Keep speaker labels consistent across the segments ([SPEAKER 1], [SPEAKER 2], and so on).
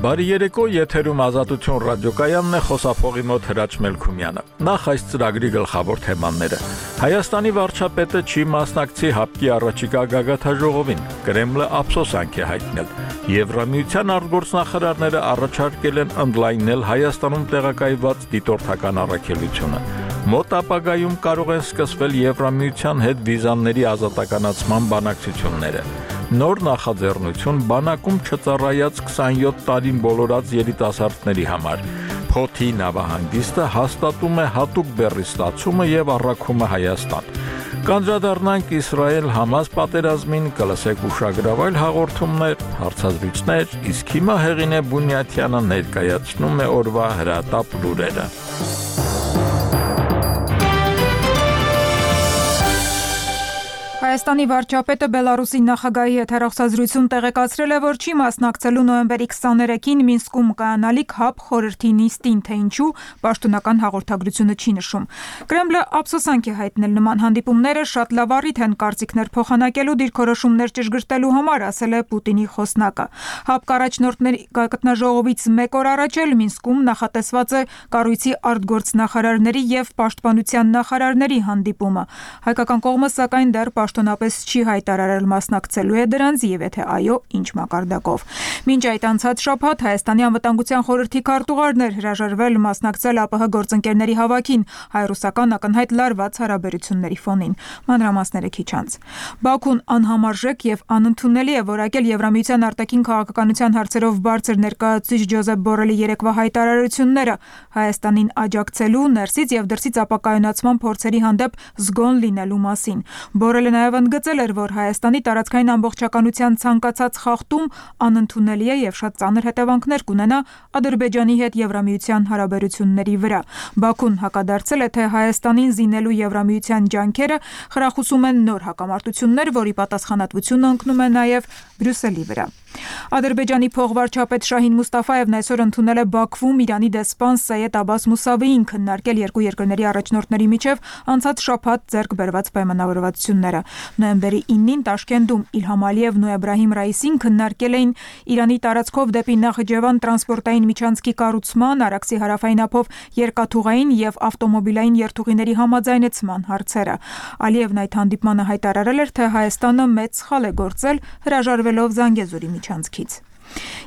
[SPEAKER 1] Բարի երեկո, եթերում Ազատություն ռադիոկայանն է, խոսափողի մոտ Հրաչ Մելքումյանը։ Նախ այս ծրագրի գլխավոր թեմաները։ Հայաստանի վարչապետը չի մասնակցի ՀԱՊԿ-ի առաջիկա գագաթնաժողովին, Կրեմլը ափսոսանք է հայտնել։ Եվրամիության արտգործնախարարները առաջարկել են ընդլայնել Հայաստանում տեղակայված դիտորդական առաքելությունը։ Մոտ ապագայում կարող են սկսվել Եվրամիության հետ վիզաների ազատականացման բանակցությունները։ Նոր նախաձեռնություն բանակում չծառայած 27 տարին բոլորած երիտասարդների համար։ Փոթի նավահանգիստը հաստատում է հատուկ բեռի ստացումը եւ առաքումը Հայաստան։ Կանդրադառնանք Իսրայել-Համաս պատերազմին, կլսեք ուշագրավայր հաղորդումներ, հարցազրույցներ, իսկ հիմա Հեղինե Բունյաթյանը ներկայացնում է օրվա հրատապ լուրերը։
[SPEAKER 2] Հայաստանի վարչապետը Բելարուսի նախագահի հետ հեռախոսազրույցում տեղեկացրել է, որ չի մասնակցելու նոյեմբերի 23-ին Մինսկում կայանալիք ՀԱՊԿ խորհրդի նիստին, թե ինչու պաշտոնական հաղորդագրությունը չի նշում։ Կրեմլը ափսոսանք է հայտնել նման հանդիպումները շատ լավ առիթ են կարծիքներ փոխանակելու, դիրքորոշումներ ճշգրտելու համար, ասել է Պուտինի խոսնակը։ ՀԱՊԿ առաջնորդների գագաթնաժողովից մեկ օր առաջ էլ Մինսկում նախատեսված է կառույցի արտգործնախարարների եւ պաշտպանության նախարարների հանդիպումը։ Հայկական կողմը սակայն դեռ պաշտոնապես չի հայտարարել մասնակցելու է դրանց եւ եթե այո, ինչ մակարդակով։ Մինչ այդ անցած շաբաթ Հայաստանի անվտանգության խորհրդի քարտուղարն էր հրաժարվել մասնակցել ԱՊՀ գործընկերների հավաքին հայ-ռուսական ակնհայտ լարված հարաբերությունների ֆոնին։ Մանրամասները քիչ անց։ Բաքուն անհամարժեք եւ անընդունելի է որակել Եվրամիության արտաքին քաղաքականության հարցերով բարձր ներկայացուցիչ Ջոզեփ Բորելի երեկվա հայտարարությունները Հայաստանին աջակցելու, ներսից եւ դրսից ապակայունացման փորձերի հանդեպ զգոն լինելու մասին։ Բորելը նաև ընդգծել էր, որ Հայաստանի տարածքային ամբողջականության ցանկացած խախտում անընդունելի է եւ շատ ծանր հետևանքներ կունենա Ադրբեջանի հետ Եվրամիության հարաբերությունների վրա։ Բաքուն հակադարձել է, թե Հայաստանին զինելու Եվրամիության ջանքերը խրախուսում են նոր հակամարտություններ, որի պատասխանատվությունը ընկնում է նաև Բրյուսելի վրա։ Ադրբեջանի փոխվարչապետ Շահին Մուստաֆայևն այսօր ընդունել է Բաքվում Իրանի դեսպան Սայեդ Աբբաս Մուսավիին քննարկել երկու երկրների առաջնորդների միջև անցած շաբաթ ձեռք բերված պայմանավորվածությունները։ Նոյեմբերի 9-ին Տաշկենտում Իլհամ Ալիևն ու Էբրահիմ Ռայիսին քննարկել էին Իրանի տարածքով դեպի Նախիջևան տրանսպորտային միջանցքի կառուցման, Արաքսի հարավային ափով երկաթուղային եւ ավտոմոբիլային երթուղիների համաձայնեցման հարցերը։ Ալիևն այդ հանդիպմանը հայտարարել էր, թե Հայաստանը մեծ սխալ է գործել հրաժարվելով Զանգեզուրի միջանցքից։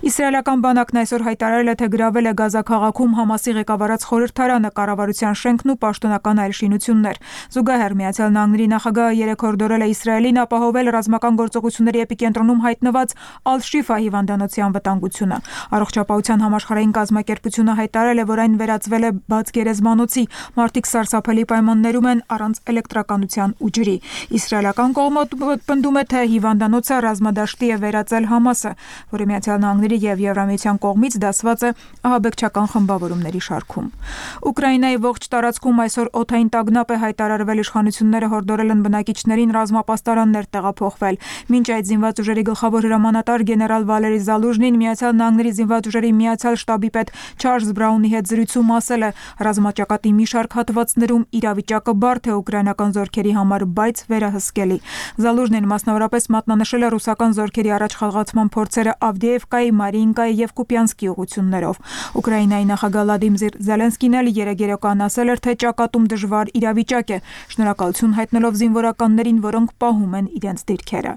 [SPEAKER 2] Իսրայելական բանակն այսօր հայտարարել է, թե գրավել է Գազա քաղաքում Համասի ղեկավարած խորհրդարանը, կառավարության շենքն ու պաշտոնական այլ շինություններ։ Զուգահեռ Միացյալ Նահանգների նախագահը երեկ հորդորել է Իսրայելին ապահովել ռազմական գործողությունների էպիկենտրոնում հայտնված Ալ-Շիֆա հիվանդանոցի անվտանգությունը։ Առողջապահության համաշխարհային կազմակերպությունը հայտարարել է, որ այն վերածվել է բաց գերեզմանոցի, մարդիկ սարսափելի պայմաններում են առանց էլեկտրականության ու ջրի։ Իսրայելական կողմը պնդում է, թե հիվանդանոցը ռազմադաշտի է վերածել Համասը, որը Միացյալ Նահանգների եւ Եվրամիության կողմից դասված է ահաբեկչական խմբավորումների շարքում։ Ուկրաինայի ողջ տարածքում այսօր օդային տագնապ է հայտարարվել, իշխանությունները հորդորել են բնակիչներին ռազմապաստարաններ տեղափոխվել։ Մինչ այդ զինված ուժերի գլխավոր հրամանատար գեներալ Վալերի Զալուժնին Միացյալ Նահանգների զինված ուժերի միացյալ շտաբի պետ Չարլզ Բրաունի հետ զրույցում ասել է, ռազմաճակատի մի շարք հատվածներում իրավիճակը բարդ է ուկրաինական զորքերի համար, բայց վերահսկելի։ Զալուժնին մասնավորապես մատնանշել է ռուսական զորքերի առաջխաղացման փորձերը Ավդեևկայի, Մարիինկայի եւ Կուպյանսկի ուղություններով։ Ուկրաինայի նախագահ Վլադիմիր Զելենսկին էլ երեկոյան ասել էր, թե ճակատում դժվար իրավիճակ է, շնորհակալություն հայտնելով զինվորականներին, որոնք պահում են իրենց դիրքերը։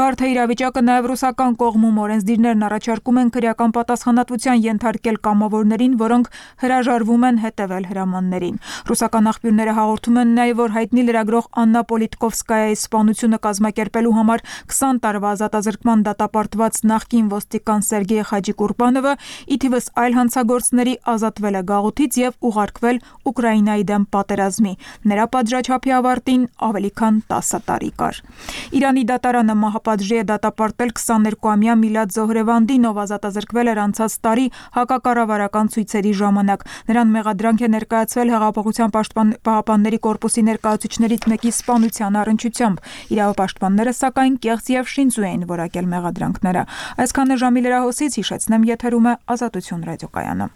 [SPEAKER 2] Բարդ է իրավիճակը նաև ռուսական կողմում օրենսդիրներն առաջարկում են քրեական պատասխանատվության ենթարկել կամավորներին, որոնք հրաժարվում են հետևել հրամաններին։ Ռուսական աղբյուրները հաղորդում են նաև, որ հայտնի լրագրող Աննա Պոլիտկովսկայայի սպանությունը կազմակերպելու համար 20 տարվա ազատազրկման դատապարտված նախկին ոստիկան Սերգեյ Խաջիկուրբանովը ի թիվս այլ հանցագործների ազատվել է գաղութից եւ ուղարկվել Ուկրաինայի դեմ պատերազմի։ Նրա պատժաչափի ավարտին ավելի քան 10 տարի կար։ Իրանի դատարանը մահապատժի է դատապարտել 22-ամյա Միլադ Զոհրեվանդին, ով ազատազրկվել էր անցած տարի հակակառավարական ցույցերի ժամանակ։ Նրան մեղադրանք է ներկայացվել Հեղափոխության պաշտպանների կորպուսի ներկայացուցիչներից մեկի սպանության առնչությամբ։ Իրավապաշտպանները սակայն կեղծ եւ շինծու էին որակել մեղադրանքները։ Այսքանը ժամի լրահոսից հիշեցնեմ, եթերում է Ազատություն ռադիոկայանը։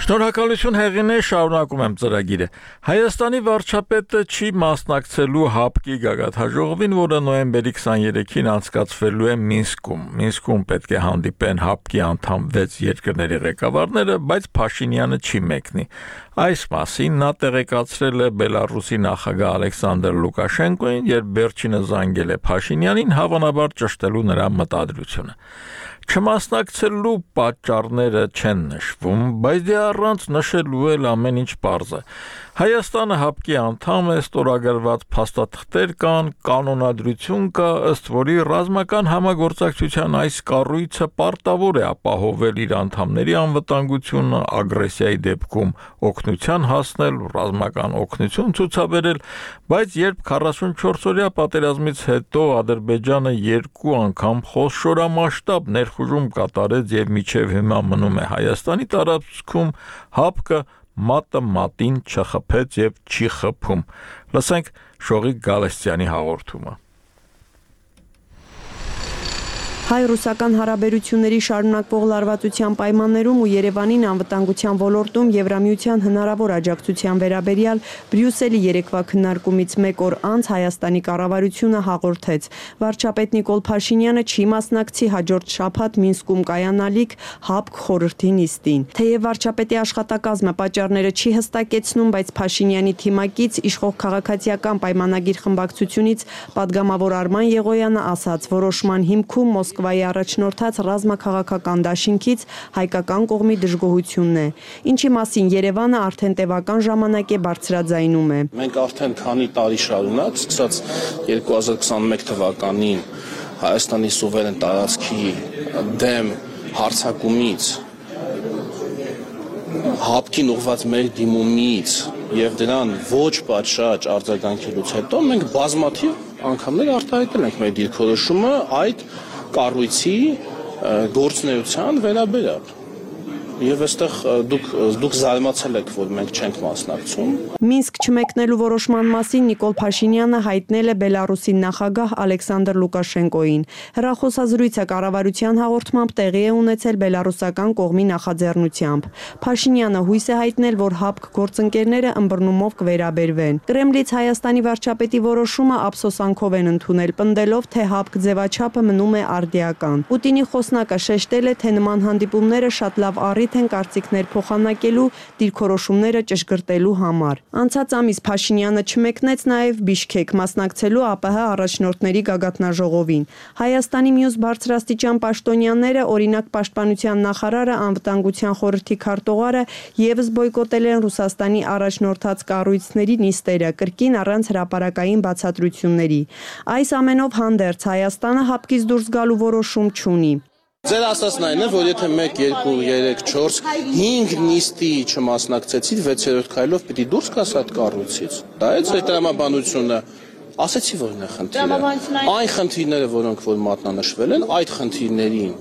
[SPEAKER 1] Շնորհակալություն Հեղինե, շարունակում եմ ծրագիրը։ Հայաստանի վարչապետը չի մասնակցելու ՀԱՊԿ-ի գագաթնաժողովին, որը նոյեմբերի 23-ին անցկացվելու է Մինսկում։ Մինսկում պետք է հանդիպեն ՀԱՊԿ-ի անդամ 6 երկրների ղեկավարները, բայց Փաշինյանը չի մեկնի։ Այս մասին նա տեղեկացրել է Բելարուսի նախագահ Ալեքսանդր Լուկաշենկոին, երբ վերջինը զանգել է Փաշինյանին, հավանաբար ճշտելու նրա մտադրությունը։ Չմասնակցելու պատճառները չեն նշվում, բայց դե առանց նշելու էլ ամեն ինչ պարզ է։ Հայաստանը ՀԱՊԿ-ի անդամ է, ստորագրված փաստաթղթեր կան, կանոնադրություն կա, ըստ որի ռազմական համագործակցության այս կառույցը պարտավոր է ապահովել իր անդամների անվտանգությունը, ագրեսիայի դեպքում օգնության հասնել, ռազմական օգնություն ցուցաբերել, բայց երբ 44-օրյա պատերազմից հետո Ադրբեջանը 2 անգամ խոշորամասշտաբ ներխուժում կատարեց եւ մինչեւ հիմա մնում է Հայաստանի տարածքում, ՀԱՊԿ-ը մատը մատին չխփեց եւ չի խփում։ Լսենք Շողիկ Գալստյանի հաղորդումը։
[SPEAKER 3] Հայ-ռուսական հարաբերությունների շարունակվող լարվածության պայմաններում ու Երևանին անվտանգության ոլորտում Եվրամիության հնարավոր աջակցության վերաբերյալ Բրյուսելի երեկվա քննարկումից մեկ օր անց Հայաստանի կառավարությունը հաղորդեց. վարչապետ Նիկոլ Փաշինյանը չի մասնակցի հաջորդ շաբաթ Մինսկում կայանալիք ՀԱՊԿ խորհրդի նիստին։ Թեև վարչապետի աշխատակազմը պատճառները չի հստակեցնում, բայց Փաշինյանի թիմակից իշխող քաղաքացիական պայմանագիր խմբակցությունից падգամավոր Արման Եղոյանը ասաց, որոշման հիմքում Մոսկվայի առաջնորդած ռազմաքաղաքական դաշինքից հայկական կողմի դժգոհությունն է, ինչի մասին Երևանը արդեն տևական ժամանակ է բարձրաձայնում է։
[SPEAKER 4] Մենք արդեն քանի տարի շարունակ, սկսած 2021 թվականին Հայաստանի սուվերեն տարածքի դեմ հարձակումից, ՀԱՊԿ-ին ուղղված մեր դիմումից եւ դրան ոչ պատշաճ արձագանքելուց հետո մենք բազմաթիվ անգամներ արտահայտել ենք մեր դիրքորոշումը այդ կառույցի գործունեության վերաբերյալ։ Եվ այստեղ դուք զարմացել եք, որ մենք չենք մասնակցում։
[SPEAKER 3] Մինսկ չմեկնելու որոշման մասին Նիկոլ Փաշինյանը հայտնել է Բելարուսի նախագահ Ալեքսանդր Լուկաշենկոին։ Հեռախոսազրույցը կառավարության հաղորդմամբ տեղի է ունեցել բելարուսական կողմի նախաձեռնությամբ։ Փաշինյանը հույս է հայտնել, որ ՀԱՊԿ գործընկերները ըմբռնումով կվերաբերվեն։ Կրեմլից Հայաստանի վարչապետի որոշումը ափսոսանքով են ընդունել, պնդելով, թե ՀԱՊԿ ձևաչափը մնում է արդիական։ Պուտինի խոսնակը շեշտել է, թե նման հանդիպումները շատ լավ են կարծիքներ փոխանակելու, դիրքորոշումները ճշգրտելու համար։ Անցած ամիս Փաշինյանը չմեկնեց նաև Բիշքեկ մասնակցելու ԱՊՀ առաջնորդների գագաթնաժողովին։ Հայաստանի մյուս բարձրաստիճան պաշտոնյաները, օրինակ Պաշտպանության նախարարը, անվտանգության խորհրդի քարտուղարը եւս բոյկոտել են Ռուսաստանի առաջնորդած կառույցների նիստերը, կրկին առանց հրապարակային բացատրությունների։ Այս ամենով հանդերձ Հայաստանը ՀԱՊԿ-ից դուրս գալու որոշում չունի։
[SPEAKER 4] Ձեր ասածն այն է, որ եթե 1, 2, 3, 4, 5 նիստի չմասնակցեցիք, 6-րդ քայլով պիտի դուրս գաս այդ կառույցից։ Դա է ձեր տրամաբանությունը։ Ասացի, որն է խնդիրը։ Այն խնդիրները, որոնք որ մատնանշվել են, այդ խնդիրներին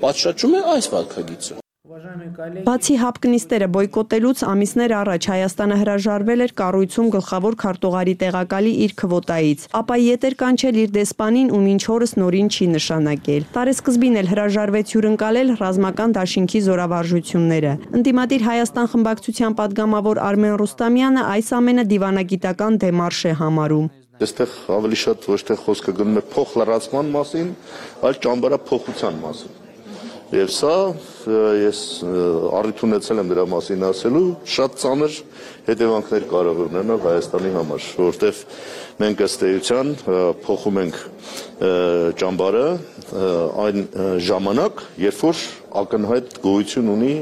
[SPEAKER 4] պատշաճում է այս վարքագիծը։
[SPEAKER 3] Բացի ՀԱՊԿ նիստերը բոյկոտելուց ամիսներ առաջ Հայաստանը հրաժարվել էր կառույցում գլխավոր քարտուղարի տեղակալի իր քվոտայից, ապա ետ էր կանչել իր դեսպանին ու մինչ օրս նորին չի նշանակել։ Տարեսկզբին էլ հրաժարվեց հյուրընկալել ռազմական դաշինքի զորավարժությունները։ Ընդդիմադիր Հայաստան խմբակցության падգամավոր Արմեն Ռուստամյանը այս ամենը դիվանագիտական դեմարշ է համարում։
[SPEAKER 5] Այստեղ ավելի շատ ոչ թե խոսքը գնում է փոխլրացման մասին, այլ ճամբարափոխության մասին։ Եվ սա ես առիթ ունեցել եմ դրա մասին ասելու, շատ ծանր հետևանքներ կարող ունենալ Հայաստանի համար, որովհետև մենք ըստ էության փոխում ենք ճամբարը այն ժամանակ, երբ որ ակնհայտ գոյություն ունի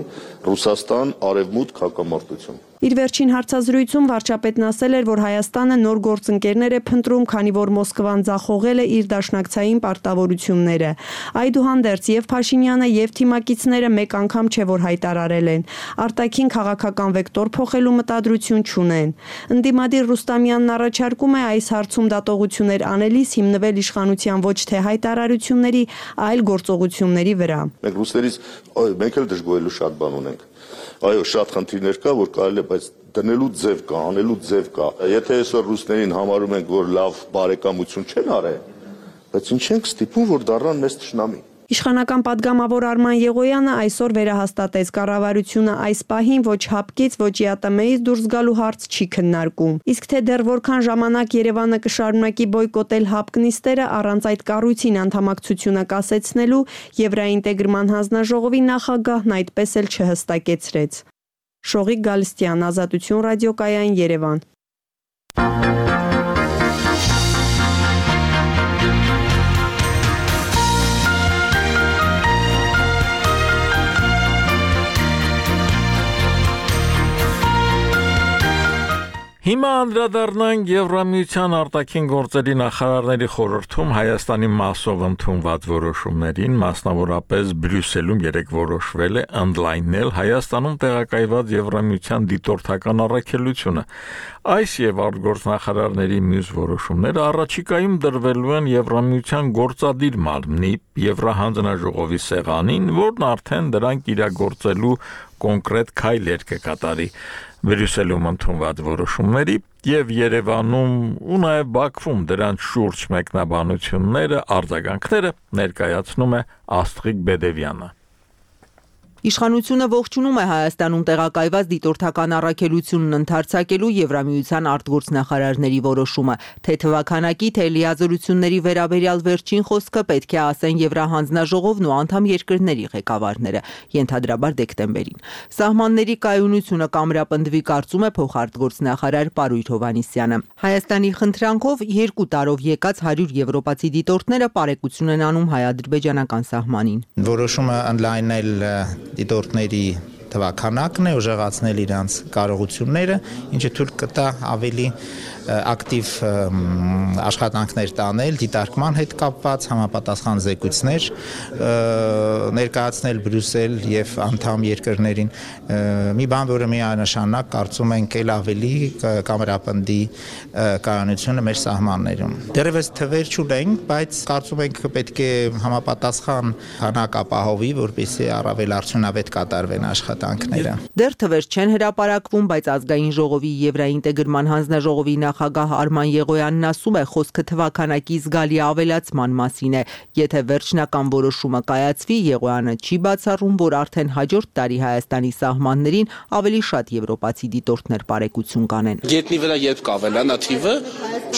[SPEAKER 5] Ռուսաստան արևմուտք հակամարտություն։
[SPEAKER 3] Իր վերջին հարցազրույցում վարչապետն ասել էր, որ Հայաստանը նոր գործընկերներ է փնտրում, քանի որ Մոսկվան ձախողել է իր դաշնակցային պարտավորությունները։ Այդուհանդերձ եւ Փաշինյանը եւ թիմակիցները մեկ անգամ չէ որ հայտարարել են, արտաքին քաղաքական վեկտոր փոխելու մտադրություն չունեն։ Ընդդիմադիր Ռուստամյանն առաջարկում է այս հարցում դատողություններ անելիս հիմնվել իշխանության ոչ թե հայտարարությունների, այլ գործողությունների վրա։
[SPEAKER 5] Մենք ռուսներից մենք էլ դժգոհելու շատ բան ունենք։ Այո, շատ խնդիրներ կա, որ կարելի է, բայց դնելու ձև կա, անելու ձև կա։ Եթե այսօր ռուսներին համարում ենք, որ լավ բարեկամություն չեն արել, բայց ինչ ենք ստիպում, որ դառնան մեզ թշնամի։
[SPEAKER 3] Իշխանական падգամավոր Արման Եղոյանը այսօր վերահաստատեց կառավարությունը այս պահին ոչ հապկից, ոչ ԵԱՏՄ-ից դուրս գալու հարց չի քննարկում։ Իսկ թե դեռ որքան ժամանակ Երևանը կշարունակի բոյկոտել հապկ նիստերը առանց այդ կառույցին անդամակցությունը կասեցնելու, Եվրաինտեգրման հանձնաժողովի նախագահն այդպես էլ չհստակեցրեց։ Շողիկ Գալստյան, Ազատություն ռադիոկայան, Երևան։
[SPEAKER 1] Հիմա անդրադառնանք Եվրամիության արտաքին գործերի նախարարների խորհրդում Հայաստանի մասով ընդունված որոշումներին, մասնավորապես Բրյուսելում երեկ որոշվել է ընդլայնել Հայաստանում տեղակայված Եվրամիության դիտորդական առաքելությունը։ Այս եւ արտգործնախարարների մյուս որոշումները առաջիկայում դրվելու են Եվրամիության գործադիր մարմնի Եվրահանձնաժողովի սեղանին, որն արդեն դրանք իրագործելու կոնկրետ քայլեր կկատարի։ Բրյուսելում ընդունված որոշումների եւ Երևանում ու նաեւ Բաքվում դրանց շուրջ մեկնաբանությունները, արձագանքները ներկայացնում է Աստղիկ Բեդևյանը։
[SPEAKER 6] Իշխանությունը ողջունում է Հայաստանում տեղակայված դիտորդական առաքելությունն ընդարձակելու Եվրամիության արտգործնախարարների որոշումը, թե թվաքանակի, թե լիազորությունների վերաբերյալ վերջին խոսքը պետք է ասեն Եվրահանձնաժողովն ու անդամ երկրների ղեկավարները, ենթադրաբար դեկտեմբերին։ Սահմանների կայունությունը կամրապնդվի, կարծում է փոխարտգործնախարար Պարույր Հովհաննիսյանը։ Հայաստանի խնդրանքով 2 տարով եկած 100 եվրոպացի դիտորդները պարեկություն են անում հայ-ադրբեջանական սահմանին։
[SPEAKER 7] Որոշումը ընդլայնել դիտորդների թվաքանակն է, ուժեղացնել իրանց կարողությունները, ինչը թույլ կտա ավելի ակտիվ աշխատանքներ տանել, դիտարկման հետ կապված համապատասխան զեկույցներ ներկայացնել Բրյուսել եւ անդամ երկրներին։ Մի բան, որը միանշանակ կարծում ենք էլ ավելի կամրապնդի կայունությունը մեր սահմաններում։ Դեռևս թվեր չունենք, բայց կարծում ենք պետք է համապատասխան քանակ ապահովի, որպեսզի առավել արդյունավետ կատարվեն աշխատանքները։
[SPEAKER 6] Դեռ թվեր չեն հրապարակվում, բայց ազգային ժողովի Եվրաինտեգրման հանձնաժողովի նախագահ Արման Եղոյանն ասում է, խոսքը թվաքանակի զգալի ավելացման մասին է։ Եթե վերջնական որոշումը կայացվի, Եղոյանը չի բացառում, որ արդեն հաջորդ տարի Հայաստանի սահմաններին ավելի շատ եվրոպացի դիտորդներ պարեկություն կանեն։
[SPEAKER 4] Գետնի վրա երբ կավելանա թիվը,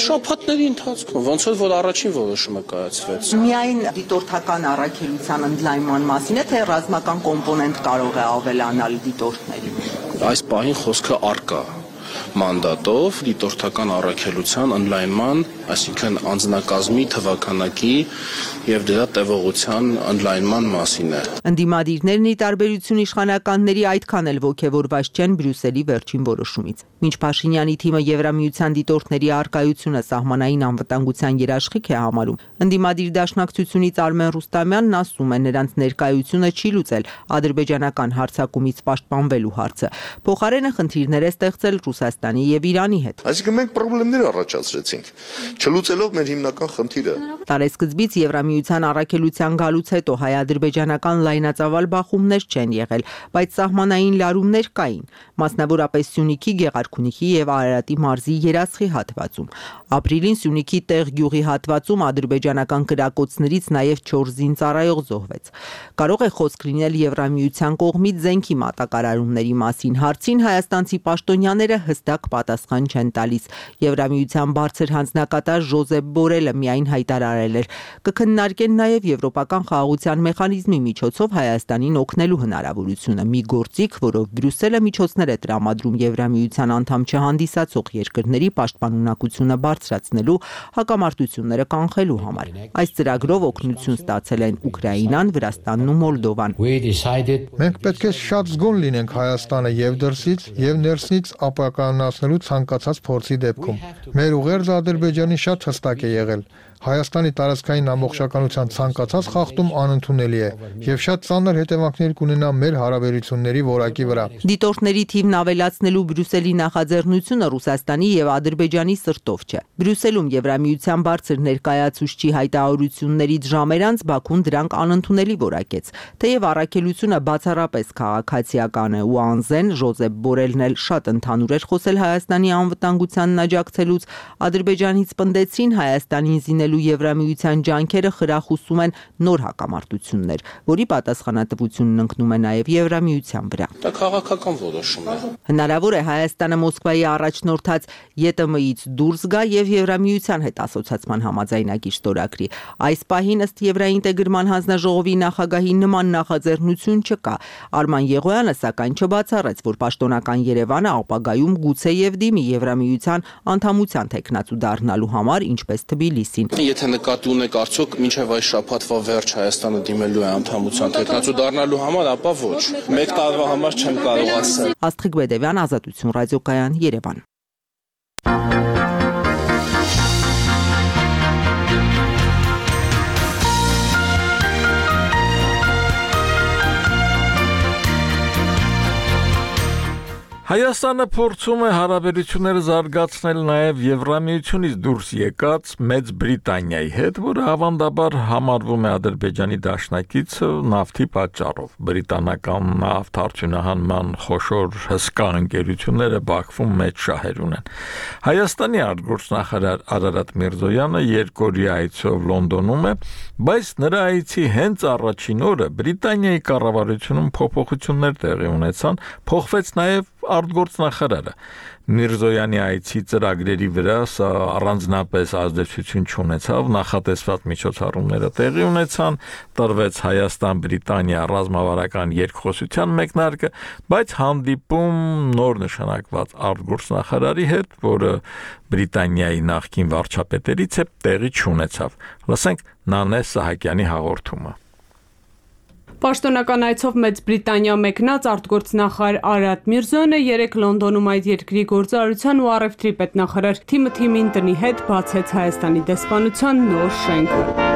[SPEAKER 4] շաբաթների ընթացքում, ոնց որ առաջին որոշումը կայացվեց։
[SPEAKER 6] Միայն դիտորդական առաքելության ընդլայնման մասին է, թե ռազմական կոմպոնենտ կարող է ավելանալ դիտորդների։
[SPEAKER 4] Այս պահին խոսքը առկա մանդատով դիտորդական առաքելության ընդլայնման, այսինքն անձնակազմի թվաքանակի եւ դրա տևողության ընդլայնման մասին է։
[SPEAKER 6] Ընդդիմադիրներն ի տարբերություն իշխանականների այդքան էլ ոգևորված չեն Բրյուսելի վերջին որոշումից։ Մինչ Փաշինյանի թիմը Եվրամիության դիտորդների առկայությունը սահմանային անվտանգության երաշխիք է համարում, ընդդիմադիր դաշնակցությունից Արմեն Ռուստամյանն ասում է, նրանց ներկայությունը չի լուծել ադրբեջանական հարձակումից պաշտպանվելու հարցը։ Փոխարենը խնդիրներ է ստեղծել Ռուսաստանի եւ Իրանի հետ։
[SPEAKER 5] Այսինքն մենք խնդիրներ առաջացրեցինք, չլուծելով մեր հիմնական խնդիրը։
[SPEAKER 6] Տարեսկզբից Եվրամիության առաքելության գալուց հետո հայ-ադրբեջանական լայնածավալ բախումներ չեն եղել, բայց սահմանային լարումներ կային, մասնավորապես Սյունիքի, Գեղարքունիքի եւ Արարատի մարզի Երասխի հատվածում։ Ապրիլին Սյունիքի տեղ գյուղի հատվածում ադրբեջանական կրակոցներից նաեւ 4 զինծառայող զոհվեց։ Կարող է խոսք լինել Եվրամիության կողմից զենքի մատակարարումների մասին։ Հարցին հայաստանցի պաշտոնյաները հստակ պատասխան չեն տալիս։ Եվրամիության բարձր հանձնակատար Ժոզեփ Բորելը միայն հայտարարել էր. կքննարկեն նաև եվրոպական խաղաղության մեխանիզմի միջոցով Հայաստանին օգնելու հնարավորությունը, մի գործիք, որով Բրյուսելը միջոցներ է տրամադրում Եվրամիության անդամ չհանդիսացող երկրների պաշտպանունակությունը բարձրացնելու, հակամարտությունները կանխելու համար։ Այս ծրագրով օգնություն ստացել են Ուկրաինան, Վրաստանն ու Մոլդովան։
[SPEAKER 8] Մենք պետք է շատ զգոն լինենք Հայաստանը եւ դրսից եւ ներսից ապականացնելու ցանկացած փորձի դեպքում։ Մեր ուղերձը Ադրբեջանի շատ հստակ է եղել։ Հայաստանի տարածքային ամբողջականության ցանկացած խախտում անընդունելի է եւ շատ ծանր հետևանքներ կունենա մեր հարաբերությունների որակի վրա։
[SPEAKER 6] Դիտորդների թիվն ավելացնելու Բրյուսելի նախաձեռնությունը Ռուսաստանի եւ Ադրբեջանի սրտով չէ։ Բրյուսելում Եվրամիության բարձր ներկայացուցչի հայտարարություններից ժամեր անց Բաքուն դրանք անընդունելի որակեց։ Թեև առաքելությունը բացառապես քաղաքացիական է ու անզեն Ժոզեփ Բորելն էլ շատ ընդհանուր էր խոսել Հայաստանի անվտանգությանն աջակցելուց, Ադրբեջանից պնդեցին Հայաստանին զինել ստեղծելու Եվրամիության ջանքերը խրախուսում են նոր հակամարտություններ, որի պատասխանատվությունն ընկնում է նաև Եվրամիության վրա։
[SPEAKER 4] Դա քաղաքական որոշում է։
[SPEAKER 6] Հնարավոր է Հայաստանը Մոսկվայի առաջնորդած ԵՏՄ-ից դուրս գա եւ Եվրամիության հետ ասոցիացիան համաձայնագիր ստորագրի։ Այս պահին ըստ Եվրաինտեգրման հանձնաժողովի նախագահի նման նախաձեռնություն չկա։ Արման Եղոյանը սակայն չբացառեց, որ պաշտոնական Երևանը ապագայում գուցեև դիմի Եվրամիության անդամության տեխնացու դառնալու համար, ինչպես Թբիլիսին։
[SPEAKER 4] Եթե նկատի ունեք արդյոք մինչև այս շաբաթվա վերջ Հայաստանը դիմելու է անդամության տեխնացու դառնալու համար, ապա ոչ։ Մեկ տարվա համար չեմ կարող ասել։
[SPEAKER 6] Աստղիկ Բեդևյան, Ազատություն ռադիոկայան, Երևան։
[SPEAKER 1] Հայաստանը փորձում է հարաբերությունները զարգացնել նաև Եվրամիությունից դուրս եկած Մեծ Բրիտանիայի հետ, որը ավանդաբար համարվում է Ադրբեջանի դաշնակիցը նավթի պատճառով։ Բրիտանական նավթարդյունահանման խոշոր հսկա ընկերությունները Բաքվում մեծ շահեր ունեն։ Հայաստանի արտգործնախարար Արարատ Միրզոյանը երկօրյա այցով Լոնդոնում է, բայց նրա այցի հենց առաջին օրը Բրիտանիայի կառավարությունում փոփոխություններ տեղի ունեցան, փոխվեց նաև արտգործնախարարը։ Միրզոյանի այցի ծրագրերի վրա սա առանձնապես ազդեցություն չունեցավ, նախատեսված միջոցառումները տեղի ունեցան, տրվեց Հայաստան-Բրիտանիա ռազմավարական երկխոսության մեկնարկը, բայց հանդիպում նոր նշանակված արտգործնախարարի հետ, որը Բրիտանիայի նախկին վարչապետերից է, տեղի չունեցավ։ Լսենք Նանե Սահակյանի հաղորդումը։
[SPEAKER 9] Պաշտոնական այցով Մեծ Բրիտանիա մեկնած արտգործնախարար Արարատ Միրզոյանը երեկ Լոնդոնում այդ երկրի գործարարության ու առևտրի պետնախարար Թիմոթի Մինտոնի հետ բացեց Հայաստանի դեսպանության նոր շենքը։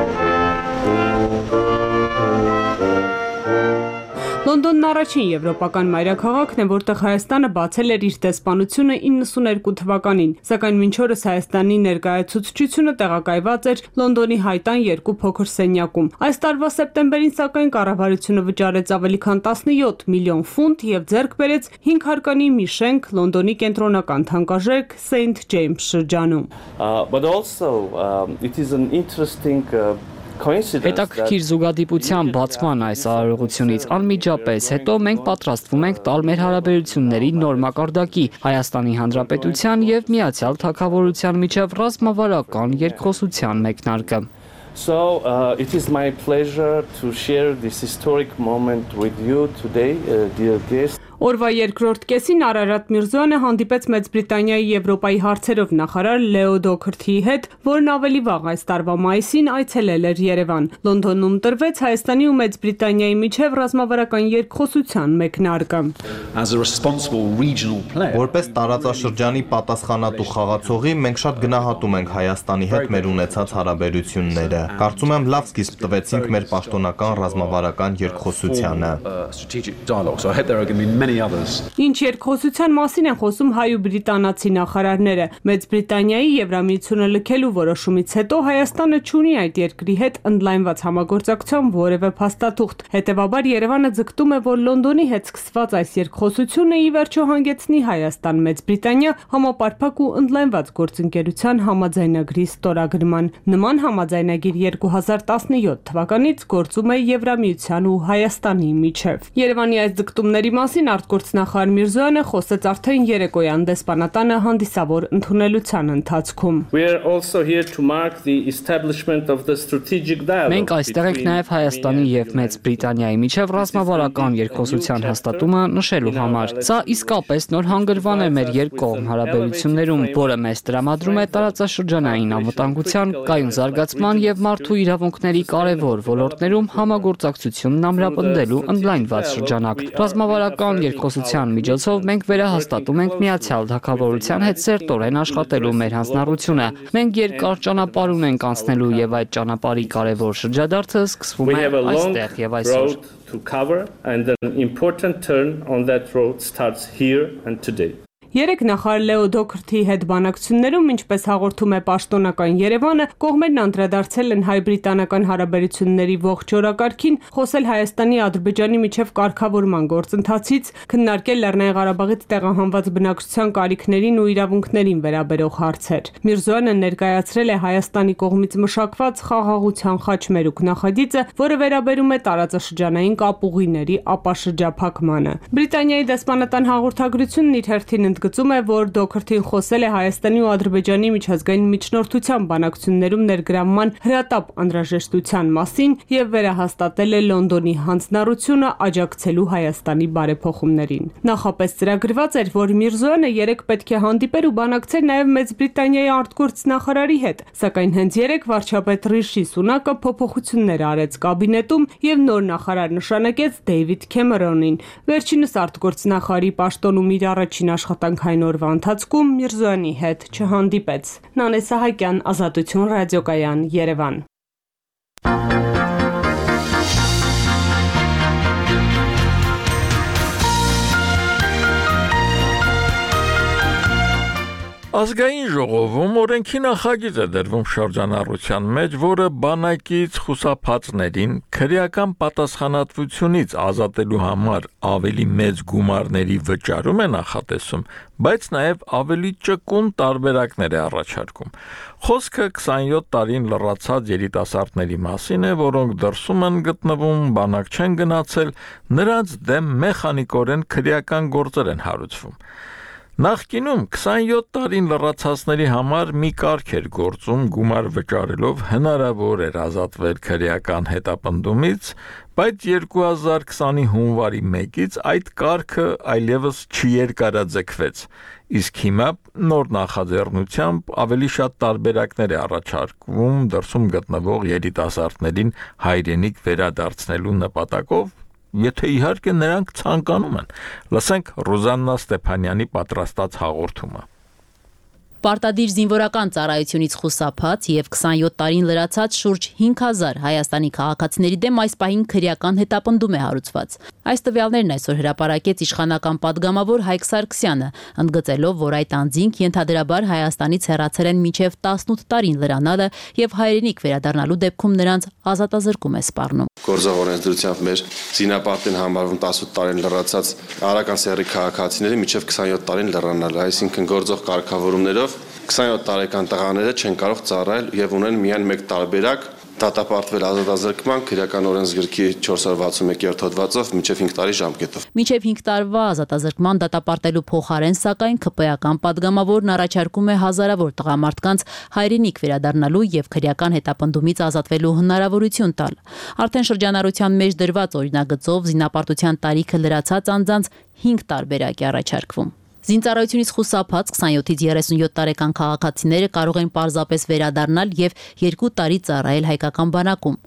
[SPEAKER 9] Լոնդոնն առաջին եվրոպական մայրաքաղաքն է, որտեղ Հայաստանը բացել էր իր դեսպանությունը 92 թվականին, սակայն մինչ օրս Հայաստանի ներկայացուցչությունը տեղակայված էր Լոնդոնի Հայտան 2 փոքր սենյակում։ Այս տարվա սեպտեմբերին սակայն կառավարությունը վճարեց ավելի քան 17 միլիոն ֆունտ եւ ձեռք բերեց 5 հարկանի մի շենք Լոնդոնի կենտրոնական թանկարժեք St. James շրջանում։
[SPEAKER 10] But also it is an interesting
[SPEAKER 11] Հետաքրքիր զուգադիպության բացման այս արարողությունից անմիջապես հետո մենք պատրաստվում ենք տալ մեր հարաբերությունների նոր մակարդակի Հայաստանի Հանրապետության եւ Միացյալ Թագավորության միջև ռազմավարական երկխոսության մեկնարկը։
[SPEAKER 10] So it is my pleasure to share this historic moment with you today, dear guests.
[SPEAKER 9] Օրվա երկրորդ կեսին Արարատ Միրզոյանը հանդիպեց Մեծ Բրիտանիայի Եվրոպայի հարցերով նախարար Լեո Դոքրթիի հետ, որն ավելի վաղ այս տարվա մայիսին այցելել էր Երևան։ Լոնդոնում տրվեց Հայաստանի ու Մեծ Բրիտանիայի միջև ռազմավարական երկխոսության մեկնարկը։
[SPEAKER 12] Որպես տարածաշրջանի պատասխանատու խաղացողի մենք շատ գնահատում ենք Հայաստանի հետ մեր ունեցած հարաբերությունները։ Կարծում եմ լավ սկիզբ տվեցինք մեր պաշտոնական ռազմավարական երկխոսությանը։
[SPEAKER 9] Ինչ երկխոսության մասին են խոսում հայ ու բրիտանացի նախարարները։ Մեծ Բրիտանիայի Եվրամիությունը լքելու որոշումից հետո Հայաստանը չունի այդ երկրի հետ ընդլայնված համագործակցության որևէ փաստաթուղթ։ Հետևաբար Երևանը ձգտում է, որ Լոնդոնի հետ սկսված այս երկխոսությունը ի վերջո հանգեցնի Հայաստան-Մեծ Բրիտանիա համապարփակ ու ընդլայնված գործընկերության համաձայնագրի ստորագրման։ Նման համաձայնագիր 2017 թվականից գործում է Եվրամիության ու Հայաստանի միջև։ Երևանի այս ձգտումների մասին արտգործնախարար Միրզոյանը խոսեց արդեն երեկոյան դեսպանատանը հանդիսավոր ընդունելության ընթացքում։
[SPEAKER 11] Մենք այստեղ ենք նաև Հայաստանի եւ Մեծ Բրիտանիայի միջև ռազմավարական երկխոսության հաստատումը նշելու համար։ Սա իսկապես նոր հանգրվան է մեր երկկողմ հարաբերություններում, որը մեզ տրամադրում է տարածաշրջանային անվտանգության, կայուն զարգացման եւ մարդու իրավունքների կարևոր ոլորտներում համագործակցությունն ամրապնդելու ընդլայնված շրջանակ։ Ռազմավարական երկխոսության միջոցով մենք վերահաստատում ենք Միացյալ Թագավորության հետ սերտորեն աշխատելու մեր հանձնառությունը։ Մենք երկար ճանապարհ ունենք անցնելու եւ այդ ճանապարհի կարևոր շրջադարձը սկսվում է այստեղ եւ այսօր։
[SPEAKER 9] Երեք նախարար Լեո Դոքրթի հետ բանակցություններում, ինչպես հաղորդում է պաշտոնական Երևանը, կողմերն անդրադարձել են հայ-բրիտանական հարաբերությունների ողջ օրակարգին, խոսել Հայաստանի Ադրբեջանի միջև կարգավորման գործընթացից, քննարկել Լեռնային Ղարաբաղից տեղահանված բնակչության կարիքներին ու իրավունքներին վերաբերող հարցեր։ Միրզոյանը ներկայացրել է Հայաստանի կողմից մշակված խաղաղության խաչմերուկ նախագիծը, որը վերաբերում է տարածաշրջանային կապուղիների ապաշրջափակմանը։ Բրիտանիայի դեսպանատան հաղորդագրությունն իր հերթին ընդգծում է, որ Դոքրթին խոսել է Հայաստանի ու Ադրբեջանի միջազգային միջնորդության բանակցություններում ներգրավման հրատապ անհրաժեշտության մասին եւ վերահաստատել է Լոնդոնի հանձնառությունը աջակցելու Հայաստանի բարեփոխումներին։ Նախապես ծրագրված էր, որ Միրզոյանը երեք պետք է հանդիպեր ու բանակցեր նաեւ Մեծ Բրիտանիայի արտգործ նախարարի հետ, սակայն հենց երեք վարչապետ Ռիշի Սունակը փոփոխություններ արեց կաբինետում եւ նոր նախարար նշանակեց Դեյվիդ Քեմերոնին։ Վերջինս արտգործ նախարարի պաշտոնում իր առաջին աշխատանքային օրվա ընթացքում Միրզոյանի հետ չհանդիպեց։ Նանե Սահակյան, Ազատություն ռադիոկայան, Երևան։
[SPEAKER 1] Ազգային ժողովում օրենքի նախագիծ է դրվում շրջանառության մեջ, որը բանակից խուսափածներին քրեական պատասխանատվությունից ազատելու համար ավելի մեծ գումարների վճարում է նախատեսում, բայց նաև ավելի ճկուն տարբերակներ է առաջարկում։ Խոսքը 27 տարին լրացած երիտասարդների մասին է, որոնք դրսում են գտնվում, բանակ չեն գնացել, նրանց դեմ մեխանիկորեն քրեական գործեր են հարուցվում։ Նախկինում 27 տարին լրացածների համար մի կարգ էր գործում, գումար վճարելով հնարավոր էր ազատվել քրեական հետապնդումից, բայց 2020-ի հունվարի 1-ից այդ կարգը այլևս չերկարաձգվեց, իսկ հիմա նոր նախաձեռնությամբ ավելի շատ տարբերակներ է առաջարկվում դրսում գտնվող երիտասարդներին հայրենիք վերադարձնելու նպատակով, եթե իհարկե նրանք ցանկանում են։ Լսենք Ռուզաննա Ստեփանյանի պատրաստած հաղորդումը։
[SPEAKER 13] Պարտադիր զինվորական ծառայությունից խուսափած եւ 27 տարին լրացած շուրջ 5000 Հայաստանի քաղաքացիների դեմ այս պահին քրեական հետապնդում է հարուցված։ Այս տվյալներն այսօր հրապարակեց իշխանական падգամավոր Հայկ Սարգսյանը, ընդգծելով, որ այդ անձինք ենթադրաբար Հայաստանից հեռացել են մինչև 18 տարին լրանալը եւ հայրենիք վերադառնալու դեպքում նրանց ազատազրկում է սպառնում։
[SPEAKER 14] Գործող օրենսդրությամբ մեր զինապարտին համարվում 18 տարին լրացած արական սեռի քաղաքացիների մինչև 27 տարին լրանալը, այսինքն գործող կարգավորումներով 27 տարեկան տղաները չեն կարող ծառայել եւ ունեն միայն մեկ տարբերակ՝ դատապարտվել ազատազրկման քրեական օրենսգրքի 461-րդ հոդվածով մինչև 5 տարի ժամկետով։
[SPEAKER 13] Մինչև 5 տարվա ազատազրկման դատապարտելու փոխարեն, սակայն ԿՊ-ական падգամավորն առաջարկում է հազարավոր տղամարդկանց հայրենիք վերադառնալու եւ քրեական հետապնդումից ազատվելու հնարավորություն տալ։ Արդեն շրջանառության մեջ դրված օրինագծով զինապարտության տարիքը լրացած անձանց 5 տարբերակ է առաջարկվում։ Զինծառայությունից խուսափած 27-ից 37 տարեկան քաղաքացիները կարող են պարզապես վերադառնալ եւ 2 տարի ծառայել հայկական բանակում։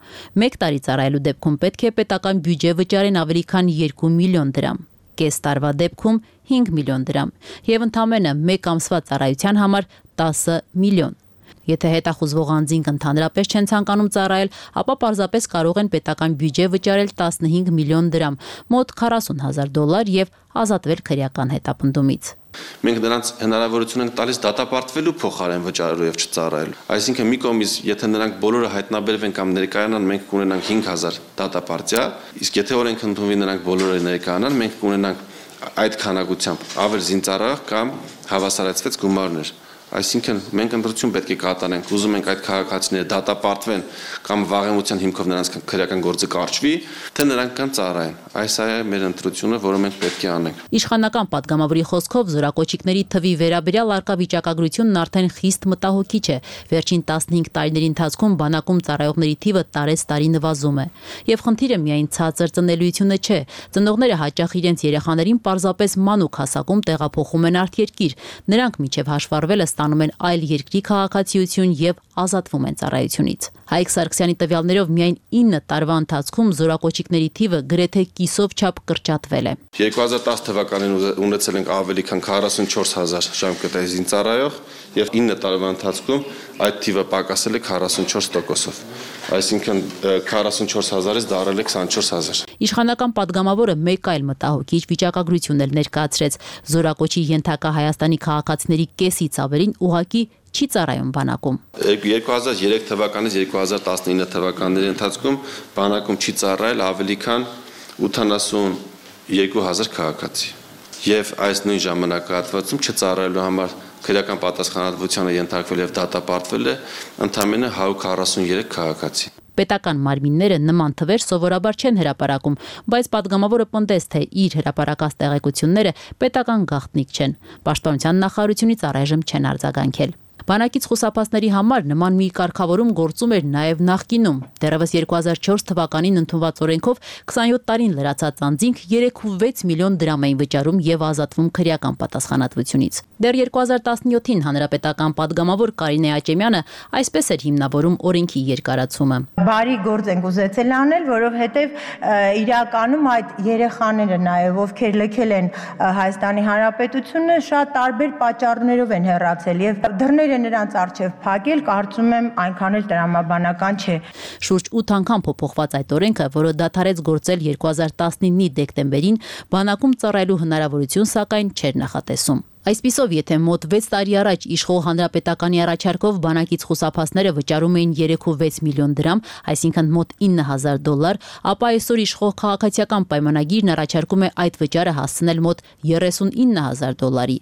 [SPEAKER 13] 1 տարի ծառայելու դեպքում պետք է պետական բյուջե վճարեն ավելի քան 2 միլիոն դրամ, կես տարվա դեպքում 5 միլիոն դրամ եւ ընդամենը 1 ամսվա ծառայության համար 10 միլիոն։ Եթե հետախուզվող անձինք ընդհանրապես չեն ցանկանում ծառայել, ապա պարզապես կարող են պետական բյուջե վճարել 15 միլիոն դրամ, մոտ $40,000 եւ ազատվել քրեական հետապնդումից։
[SPEAKER 14] Մենք նրանց հնարավորություն ենք տալիս դատապարտվելու փոխարեն վճարելու եւ չծառայելու։ Այսինքն մի կողմից, եթե նրանք բոլորը հայտնաբերվեն կամ ներկայանան, մենք կունենանք 5000 դատապարտյա, իսկ եթե օրենք ընդունվի նրանք բոլորը ներկայանան, մենք կունենանք այդ քանակությամբ ավել զինծառայող կամ հավասարացված գումարներ։ Այսինքն մենք ընտրություն պետք է կատարենք, ուզում ենք այդ քաղաքացիները դատապարտվեն կամ վաղեմության հիմքով նրանց քրեական գործը կարճվի, թե նրանք կան ծառայեն։ Այս է մեր ընտրությունը, որը մենք պետք է անենք։
[SPEAKER 13] Իշխանական падգամավորի խոսքով զորակոչիկների թվի վերաբերյալ արկա վիճակագրությունն արդեն խիստ մտահոգիչ է։ Վերջին 15 տարիների ընթացքում բանակում ծառայողների թիվը տարեցտարի նվազում է։ Եվ խնդիրը միայն ցածր ծնելիությունը չէ։ Ծնողները հաճախ իրենց երեխաներին պարզապես մանուկ հասակում տեղափոխում են արտերկիր։ Նրանք միջև հաշվառվելը ստանում են այլ երկրի քաղաքացիություն եւ ազատվում են ծառայությունից։ Հայկ Սարգսյանի տվյալներով միայն 9 տարվա ընթացքում զորակոչիկների թիվը գրեթե կիսով չափ կրճատվել է։
[SPEAKER 14] 2010 թվականին ունեցել ենք ավելի քան 44000 ժամկետային զինծառայող եւ 9 տարվա ընթացքում այդ թիվը պակասել է 44%-ով։ Այսինքն 44000-ից դարել է 24000։
[SPEAKER 13] Իշխանական падգամավորը մեկ այլ մտահոգիչ վիճակագրություն էլ ներկայացրեց։ Զորակոչի ենթակա Հայաստանի քաղաքացիների կեսից ավելին ուղղակի չի ծառայում բանակում։
[SPEAKER 14] 2003 թվականից 2019 թվականների ընթացքում բանակում չի ծառայել ավելի քան 82000 քաղաքացի։ Եվ այս նույն ժամանակահատվածում չծառայելու համար քրեական պատասխանատվությանը ենթարկվել եւ դատապարտվել է ընդամենը 143 քաղաքացի։
[SPEAKER 13] Պետական մարմինները նման թվեր սովորաբար չեն հրապարակում, բայց падգամավորը պնդեց, թե իր հրապարակած տեղեկությունները պետական գաղտնիք չեն։ Պաշտպանության նախարարությունից առայժմ չեն արձագանքել։ Բանակից խուսափածների համար նման մի կարգավորում գործում էր նաև նախկինում։ Դեռևս 2004 թվականին ընդունված օրենքով 27 տարին լրացած անձինք 3.6 միլիոն դրամ էին վճարում եւ ազատվում քրեական պատասխանատվությունից։ Դեռ 2017-ին հանրապետական падգամավոր Կարինե Աճեմյանը այսպես էր հիմնավորում օրենքի երկարացումը։
[SPEAKER 15] Բարի գործ ենք ուզեցել անել, որովհետեւ իրականում այդ երեխաները նաև ովքեր լքել են Հայաստանի Հանրապետությունը շատ տարբեր պատճառներով են հեռացել եւ դռները նրանց առջև փակել, կարծում եմ այնքան էլ տրամաբանական չէ։
[SPEAKER 13] Շուրջ 8 անգամ փոփոխված այդ օրենքը, որը դադարեց գործել 2019-ի դեկտեմբերին, բանակում ծառայելու հնարավորություն սակայն չէր նախատեսում։ Այսպիսով, եթե մոտ 6 տարի առաջ իշխող հանրապետականի առաջարկով բանակից խուսափածները վճարում էին 3.6 միլիոն դրամ, այսինքն մոտ $9000, ապա այսօր իշխող քաղաքացիական պայմանագիրն առաջարկում է այդ վճարը հասցնել մոտ $39000։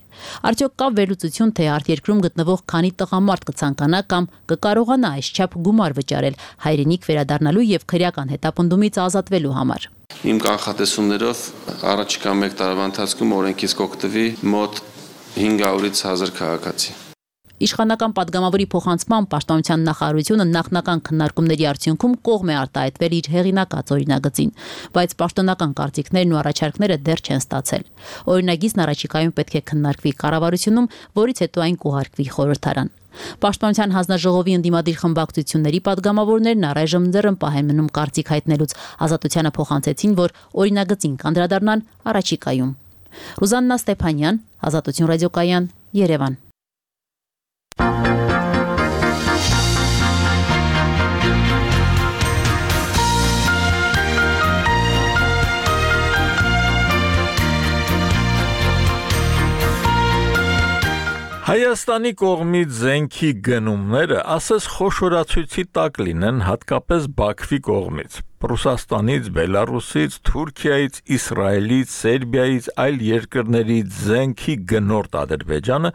[SPEAKER 13] Արդյոք կա վերլուծություն, թե արտերկրում գտնվող քանի տղամարդ կցանկանա կամ կկարողանա այսչափ գումար վճարել հայրենիք վերադառնալու եւ քրեական հետապնդումից ազատվելու համար։
[SPEAKER 14] Իմ կանխատեսումներով առաջիկա 1 տարվա ընթացքում օրենքից կօգտվի մոտ 500-ից 1000 քաղաքացի։
[SPEAKER 13] Իշխանական падգամավորի փոխանցման պաշտպանության նախարարությունը նախնական քննարկումների արդյունքում կողմ է արտահայտվել իր հեղինակած օրինագծին, բայց պաշտոնական կարծիքներն ու առաջարկները դեռ չեն ստացել։ Օրինագիծն առաջիկայում պետք է քննարկվի կառավարությունում, որից հետո այն կուղարկվի խորհրդարան։ Պաշտպանության հանձնաժողովի ընդդիմադիր խմբակցությունների падգամավորներն առայժմ ձեռնպահ են մնում կարծիք հայտնելուց, Ազատությանը փոխանցեցին, որ օրինագծին կանդրադառնան առաջիկայում։ Ռուզաննա Ստեփանյան, Ազատություն ռադիոկայան, Երևան։
[SPEAKER 1] Հայաստանի կողմից զենքի գնումները ասես խոշորացույցի տակ լինեն հատկապես Բաքվի կողմից։ Ռուսաստանից, Բելարուսից, Թուրքիայից, Իսրայելից, Սերբիայից, այլ երկրներից զենքի գնորդ Ադրբեջանը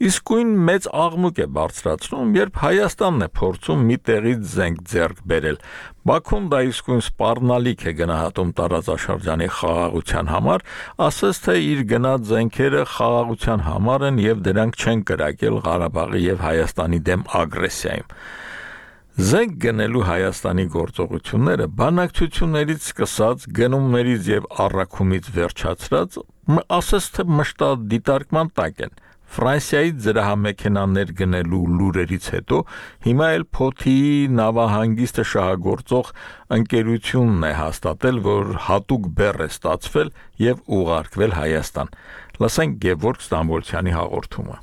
[SPEAKER 1] իսկույն մեծ աղմուկ է բարձրացնում, երբ Հայաստանն է փորձում մի տեղից զենք ձեռք բերել։ Բաքուն դա իսկույն սպառնալիք է գնահատում տարածաշրջանի խաղաղության համար, ասես թե իր գնած զենքերը խաղաղության համար են եւ դրանք չեն կրակել Ղարաբաղի եւ Հայաստանի դեմ ագրեսիայում։ Զենք գնելու Հայաստանի գործողությունները բանակցություններից սկսած գնումներից եւ առաքումից վերջացրած ասես թե մշտად դիտարկման տակ են։ Ֆրանսիայից զրահամեքենաներ գնելու լուրերից հետո հիմա էլ Փոթիի նավահանգիստը շահագործող ընկերությունն է հաստատել, որ հատուկ բեռ է ստացվել եւ ուղարկվել Հայաստան։ Լսենք Գևորգ Ստամբոլցյանի հաղորդումը։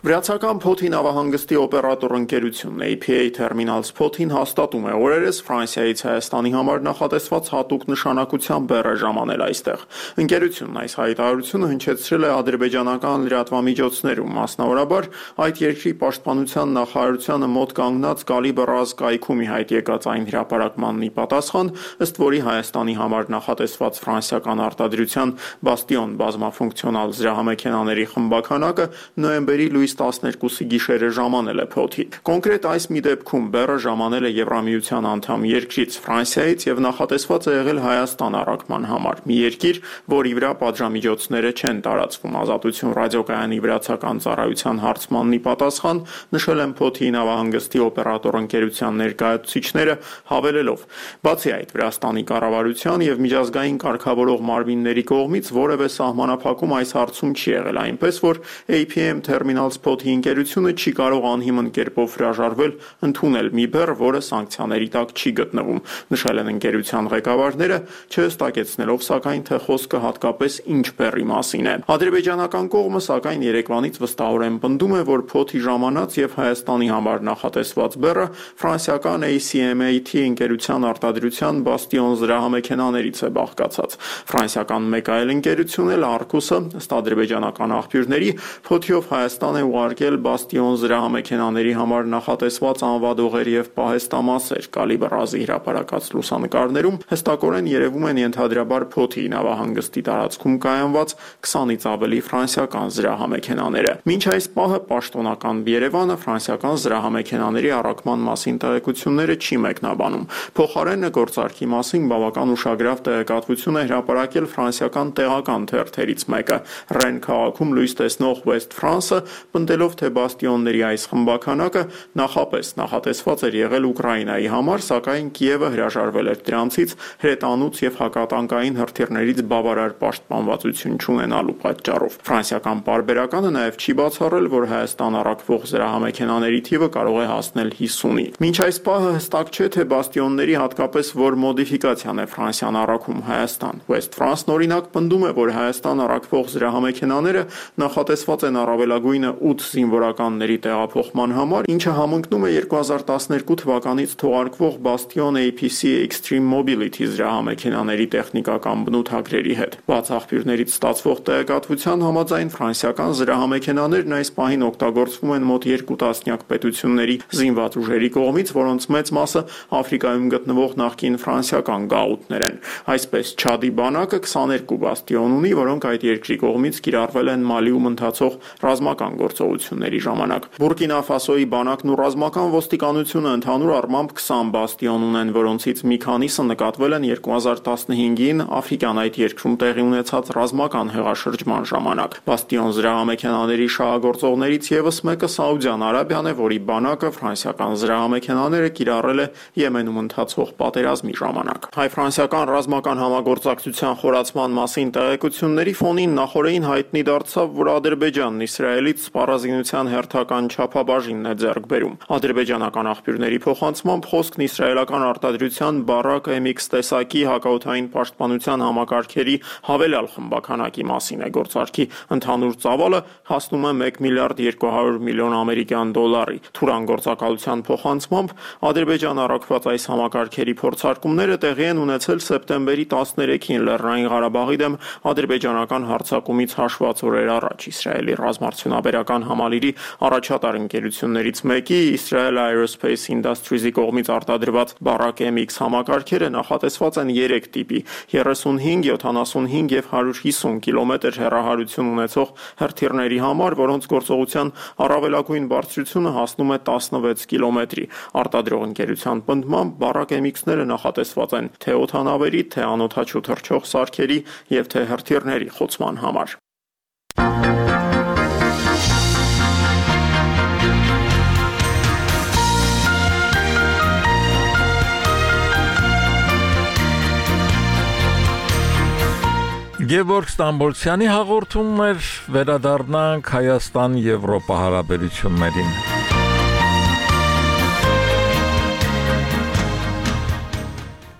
[SPEAKER 16] Վրացական Փոթի նավահանգստի օպերատոր ընկերությունն APA Terminals Փոթին հաստատում է օրերս Ֆրանսիայից Հայաստանի համար նախատեսված հատուկ նշանակության բեռը ժամանել այստեղ։ Ընկերությունն այս հայտարարությունը հնչեցրել է ադրբեջանական լրատվամիջոցներում, մասնավորաբար այդ երկրի պաշտպանության նախարարությանը մոտ կանգնած Կալիբր կայքում ի հայտ եկած այն հրապարակմանն ի պատասխան, ըստ որի Հայաստանի համար նախատեսված ֆրանսիական արտադրության Բաստիոն բազմաֆունկցիոնալ զրահամեքենաների խմբականակը նոյեմբերի լույս 12-ի գիշերը ժամանել է Փոթի։ Կոնկրետ այս մի դեպքում բեռը ժամանել է Եվրամիության անդամ երկրից Ֆրանսիայից եւ նախատեսված է եղել Հայաստան առաքման համար։ Մի երկիր, որի վրա պատժամիջոցները չեն տարածվում։ Ազատություն ռադիոկայանի վրացական ծառայության հարցմանն ի պատասխան նշել են Փոթի նավահանգստի օպերատոր ընկերության ներկայացուցիչները, հավելելով. Բացի այդ, Վրաստանի կառավարության եւ միջազգային կարգավորող մարմինների կողմից որևէ սահմանափակում այս հարցում չի եղել, այնպես որ APM Terminals Terminals Փոթի ընկերությունը չի կարող անհիմն կերպով հրաժարվել ընդունել մի բեռ, որը սանկցիաների տակ չի գտնվում, նշել են ընկերության ղեկավարները, չհստակեցնելով սակայն թե խոսքը հատկապես ինչ բեռի մասին է։ Ադրբեջանական կողմը սակայն երեկվանից վստահորեն պնդում է, որ Փոթի ժամանած եւ Հայաստանի համար նախատեսված բեռը ֆրանսիական ACMAT ընկերության արտադրության Bastion զրահամեքենաներից է բաղկացած։ Ֆրանսիական մեկ այլ ընկերություն էլ Arcus-ը, ըստ ադրբեջանական աղբյուրների, Փոթիով Հայաստան է ուղարկել Bastion զրահամեքենաների համար նախատեսված անվադողեր եւ պահեստամասեր։ Կալիբրազի հրապարակած լուսանկարներում հստակորեն երևում են ենթադրաբար Փոթի նավահանգստի տարածքում կայանված 20-ից ավելի ֆրանսիական զրահամեքենաները։ Մինչ այս պահը պաշտոնական Երևանը ֆրանսիական զրահամեքենաների առաքման մասին տեղեկությունները չի մեկնաբանում։ Փոխարենը գործարքի մասին բավական ուշագրավ տեղեկատվություն է հրապարակել ֆրանսիական տեղական թերթերից մեկը։ Ռեն քաղաքում լույս տեսնող West France-ը պնդելով, թե Բաստիոնների այս խմբականակը նախապես նախատեսված էր եղել Ուկրաինայի համար, սակայն Կիևը հրաժարվել էր դրանցից հրետանուց եւ հակատանկային հրթիռներից բավարար պաշտպանվածություն չունենալու պատճառով։ Ֆրանսիական պարբերականը նաեւ չի բացառել, որ Հայաստան առաքվող զրահամեքենաների թիվը կարող է հասնել 50-ի։ Մինչ այս պահը հստակ չէ, թե Բաստիոնների հատկապես որ մոդիֆիկացիան է Ֆրանսիան առաքում Հայաստան։ West France-ն օրինակ պնդում է, որ Հայաստան առաքվող զրահամեքենաները նախատեսված են առավելագույնը 8 զինվորականների տեղափոխման համար, ինչը համընկնում է 2012 թվականից թողարկվող Bastion APC Extreme Mobility զրահամեքենաների տեխնիկական բնութագրերի հետ։ Բաց աղբյուրներից ստացվող տեղեկատվության համաձայն ֆրանսիական զրահամեքենաներն այս պահին օգտագործվում են մոտ 2 տասնյակ պետությունների զինված ուժերի կողմից, որոնց մեծ մասը Աֆրիկայում գտնվող նախկին ֆրանսիական գաղութներ են։ Այսպես Չադի բանակը 22 Bastion ունի, որոնք այդ երկրի կողմից կիրառվել են Մալիում ընթացող ռազմական գործողությունների ժամանակ։ Բուրկինա Ֆասոյի բանակն ու ռազմական ոստիկանությունը ընդհանուր առմամբ 20 Bastion ունեն, որոնցից մի քանիսը նկատվել են 2015-ին Աֆրիկյան այդ երկրում տեղի ունեցած ռազմական հեղաշրջման ժամանակ։ Bastion զրահամեքենաների շահագործողներից եւս մեկը Սաուդյան Արաբիան է, որի բանակը ֆրանսիական զրահամեքենաները կիրառել է Եմենում ընթացող պատերազմի ժամանակ։ Հայ-ֆրանսիական ռազմական համագործակցության խորացման մասին տեղեկությունների ֆոնին նախորդին հայտնի դարձավ, որ Ադրբեջանն Իսրայելից սպառազինության հերթական չափաբաժինն է ձեռք բերում։ Ադրբեջանական աղբյուրների փոխանցմամբ խոսքն իսրայելական արտադրության Բարակ MX տեսակի հակաօդային պաշտպանության համակարգերի հավելյալ խմբականակի մասին է։ Գործարքի ընդհանուր ծավալը հասնում է 1 միլիարդ 200 միլիոն ամերիկյան դոլարի։ Թուրան գործակալության փոխանցմամբ Ադրբեջան առաքված այս համակարգերի փորձարկումները տեղի են ունեցել սեպտեմբերի 13-ին Լեռնային Ղարաբաղի դեմ ադրբեջանական հարձակումից հաշված օրեր առաջ։ Իսրայելի ռազմարդյունաբերական համալիրի առաջատար ընկերություններից մեկի Israel Aerospace Industries-ի կողմից արտադրված Barak MX համակարգերը նախատեսված են 3 տիպի՝ 35, 75 եւ 150 կիլոմետր հեռահարություն ունեցող հրթիռների համար, որոնց գործողության առավելագույն բարձրությունը հասնում է 16 կիլոմետրի։ Արտադրող ընկերության պնդմամբ Barak MX-ները նախատեսված են թե օդանավերի, թե անօդաչու թռչող սարքերի եւ թե հրթիռների խոցման համար։
[SPEAKER 1] Գևորգ Ստամբոլցյանի հաղորդումն էր, վերադառնանք Հայաստան-Եվրոպա հարաբերություններին։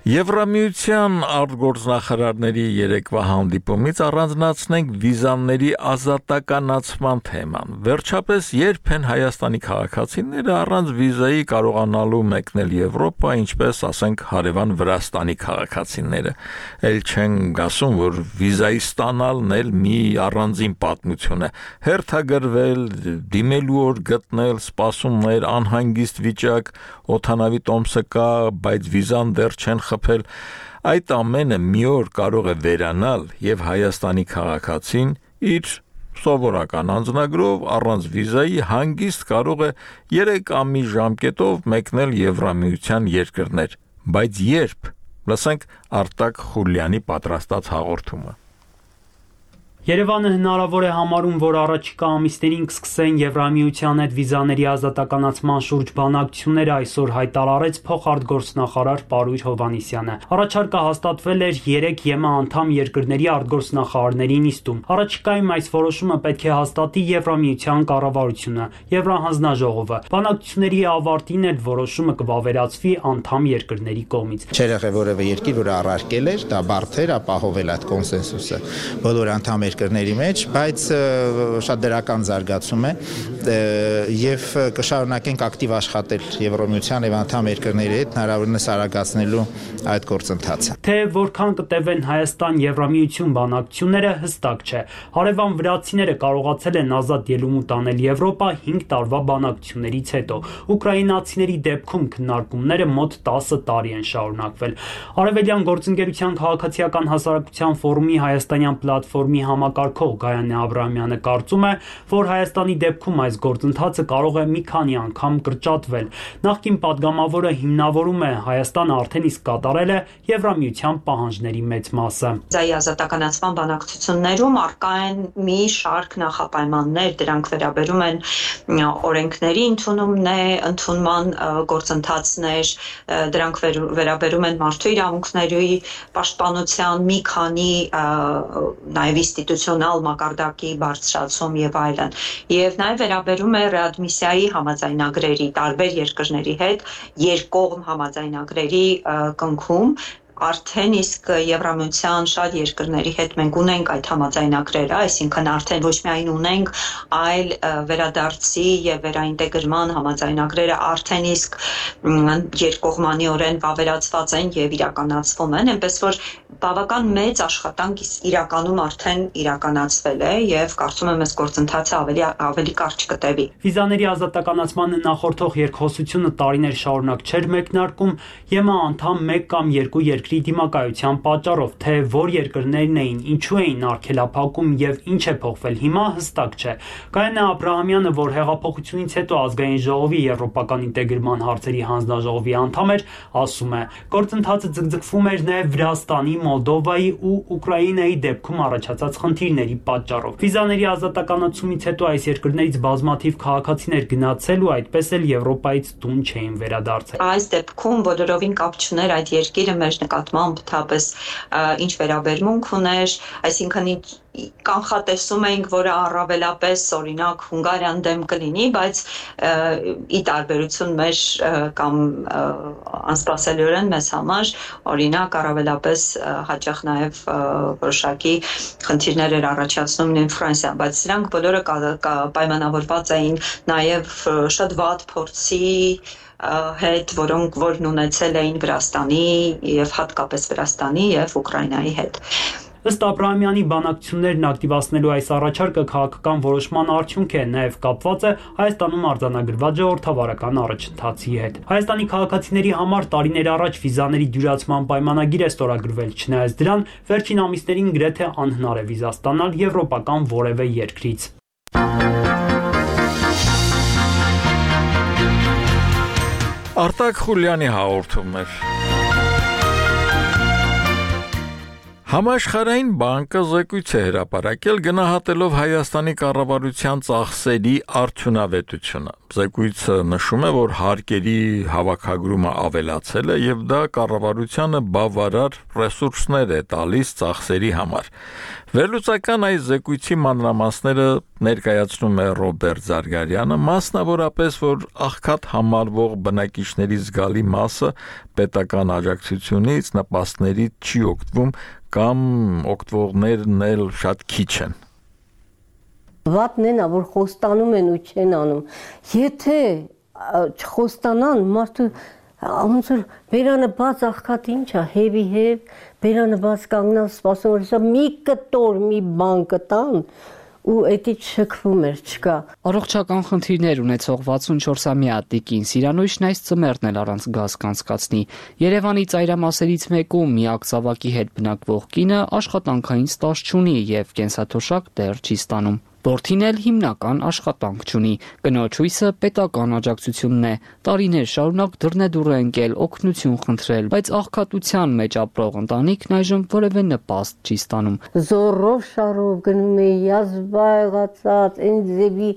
[SPEAKER 1] Եվրամիության արտգործնախարարների երեկվա հանդիպումից առանձնացնենք վիզաների ազատականացման թեման։ Վերջապես երբ են Հայաստանի քաղաքացիները առանց վիզայի կարողանալու մեկնել Եվրոպա, ինչպես ասենք հարևան Վրաստանի քաղաքացիները։ Էլ չեն ասում, որ վիզայի ստանալն էլ մի առանձին պատմություն է։ Հերթագրվել, դիմելու օր գտնել, սպասումներ, անհանգիստ վիճակ, օդանավի տոմսը կա, բայց վիզան դեռ չեն խփել, այդ ամենը մի օր կարող է վերանալ եւ Հայաստանի քաղաքացին իր սովորական անձնագրով առանց վիզայի հանգիստ կարող է 3 ամի ժամկետով մեկնել Եվրամիության երկրներ, բայց երբ, լսենք Արտակ Խուլյանի պատրաստած հաղորդումը։
[SPEAKER 17] Երևանը հնարավոր է համարում, որ առաջիկա ամիսներին կսկսեն Եվրամիության հետ վիզաների ազատականացման շուրջ բանակցությունները, այսօր հայտարարեց փոխարտգործնախարար Պարույր Հովհաննիսյանը։ Առաջարկը հաստատվել էր 3 ԵՄ անդամ երկրների արտգործնախարարների նիստում։ Առաջիկայում այս որոշումը պետք է հաստատի Եվրամիության կառավարությունը, Եվրահանձնաժողովը։ Բանակցությունների ավարտին էլ որոշումը կվավերացվի անդամ երկրների կողմից։
[SPEAKER 7] Չէր եղել որևէ երկիր, որ առարկել էր, դա բարդ էր ապահովել այդ կոնսենսուսը բոլոր անդամ երկրների մեջ, բայց շատ դրական զարգացում է եւ կշարունակենք ակտիվ աշխատել Եվրոմիության եւ անդամ երկրների հետ հնարավորինս արագացնելու այդ գործընթացը։
[SPEAKER 17] Թե որքան կտևեն Հայաստան-Եվրամիություն բանակցությունները հստակ չէ։ Հարևան վրացիները կարողացել են ազատ ելումուտ անել Եվրոպա 5 տարվա բանակցություններից հետո։ Ուկրաինացիների դեպքում քննարկումները մոտ 10 տարի են շարունակվել։ Արևելյան գործընկերության քաղաքացիական հասարակության ֆորումի հայաստանյան պլատֆորմի համակարգող Գայանե Աբրահամյանը կարծում է, որ Հայաստանի դեպքում այս գործընթացը կարող է մի քանի անգամ կրճատվել։ Նախկին падգամավորը հիմնավորում է Հայաստանը արդեն իսկ կատարել է Եվրամիության պահանջների մեծ մասը։
[SPEAKER 18] Ձայի ազատականացման բանակցություններում առկա են մի շարք նախապայմաններ, դրանք վերաբերում են օրենքների ընդունման գործընթացներ, դրանք վերաբերում են մարդու իրավունքների պաշտպանության մի քանի նաև ինստիտուցիոնալ մակարդակի բարձրացում եւ այլն, եւ նաև վերաբերում է ռեադմիսիայի համաձայնագրերի տարբեր երկրների հետ երկկողմ համաձայնագրերի կնքում արդեն իսկ Եվրամիության շատ երկրների հետ մենք ունենք այդ համաձայնագրերը, այսինքն արդեն ոչ միայն ունենք, այլ վերադարձի եւ վերաինտեգրման համաձայնագրերը արդեն իսկ երկկողմանիորեն վավերացված են եւ իրականացվում են, այնպես որ բավական մեծ աշխատանք իրականում արդեն իրականացվել է եւ կարծում եմ այս գործընթացը ավելի կարճ կտևի։
[SPEAKER 17] Վիզաների ազատականացմանը նախորդող երկխոսությունը տարիներ շարունակ չէր մեկնարկում, ԵՄ անդամ 1 կամ 2 երկրի դիմակայության պատճառով, թե որ երկրներն էին, ինչու էին արգելափակում եւ ինչ է փոխվել հիմա հստակ չէ։ Գայանե Աբրահամյանը, որ հեղափոխությունից հետո ազգային ժողովի եվրոպական ինտեգրման հարցերի հանձնաժողովի անդամ էր, ասում է. գործընթացը ձգձգվում էր նաեւ Վրաստանի, Մոլդովայի ու Ուկրաինայի դեպքում առաջացած խնդիրների պատճառով։ Վիզաների ազատականացումից հետո այս երկրներից բազմաթիվ քաղաքացիներ գնացել ու այդպես էլ Եվրոպայից տուն չէին վերադարձել։
[SPEAKER 18] Այս դեպքում բոլորովին կապ չուներ այդ երկիրը մեր նկատմամբ թափս ինչ վերաբերմունք ուներ, այսինքն կանխատեսում էինք, որ առավելապես օրինակ Հունգարիան դեմ կլինի, բայց ի տարբերություն մեր կամ անսպասելիորեն մեզ համար օրինակ առավելապես հաճախ նաև որոշակի խնդիրներ էր առաջացնում նույն Ֆրանսիան, բայց սրանք բոլորը պայմանավորված էին նաև շատ վատ փորձի հետ, որն ունեցել էին Վրաստանի եւ հատկապես Վրաստանի եւ Ուկրաինայի հետ։
[SPEAKER 17] Ըստ Աբրահամյանի բանակցություններն ակտիվացնելու այս առաջարկը քաղաքական որոշման արդյունք է, նաև կապված է Հայաստանում արձանագրված ժողովրդավարական առաջընթացի հետ։ Հայաստանի քաղաքացիների համար տարիներ առաջ վիզաների դյուրացման պայմանագիր է ստորագրվել, չնայած դրան վերջին ամիսներին գրեթե անհնար է վիզա ստանալ եվրոպական որևէ երկրից։
[SPEAKER 1] Արտակ Խուլյանի հաղորդումն էր։ Համաշխարհային բանկը զեկույց է հրապարակել գնահատելով Հայաստանի կառավարության ծախսերի արդյունավետությունը։ Զեկույցը նշում է, որ հարկերի հավաքագրումը ավելացել է եւ դա կառավարությանը բավարար ռեսուրսներ է տալիս ծախսերի համար։ Վերլուծական այս զեկույցի մանրամասները ներկայացնում է Ռոբերտ Զարգարյանը, մասնավորապես, որ աղքատ համարվող բնակիչների զգալի մասը պետական աջակցությունից նպաստներից չի օգտվում կամ օգտվողներն էլ շատ քիչ են։
[SPEAKER 19] Վատն են, որ խոստանում են ու չեն անում։ Եթե չխոստանան, մարդու ոնց որ բերանը բաց աղքատ ինչա, հեվի հեվ, բերանը բաց կանգնած սպասում, որ սա մի կտոր մի բան կտան ու էդի չքվում էր, չկա։
[SPEAKER 11] Առողջական խնդիրներ ունեցող 64-ամյա Տիկին Սիրանույշն այս ծմերն էլ առանց գազ կանցկացնի։ Երևանի ծայրամասերից մեկում միակ ծավակի հետ բնակվող կինը աշխատանքային ստաժ չունի եւ կենսաթոշակ դեռ չի ստանում։ Որդին էլ հիմնական աշխատանք չունի։ Կնոջ հույսը պետական աջակցությունն է։ Տարիներ շարունակ դռնեդուռ է ընկել, օգնություն խնդրել, բայց աղքատության մեջ ապրող ընտանիքն այժմ որևէ նպաստ չի ստանում։
[SPEAKER 19] Զորով շարով գնում էի, յազվա եղածած, այն ձևի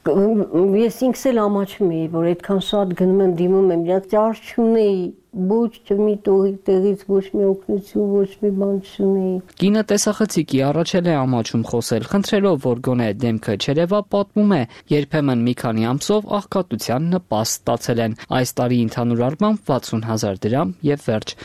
[SPEAKER 19] ես ինքս էլ ամաչում էի, որ այդքան շատ գնում եմ, դիմում եմ, իրաց ճար չունեի, ոչ մի տեղից ոչ մի օգնություն, ոչ մի բան չունեի։
[SPEAKER 11] Կինը տեսախցիկի առաջել է ամաչում խոսել, խնդրելով, որ գոնե դեմքը չերևա, պատմում է, երբեմն մի քանի ամսով աղքատության նպաստ ստացել են։ Այս տարի ընդհանուր առմամբ 60,000 դրամ եւ վերջ։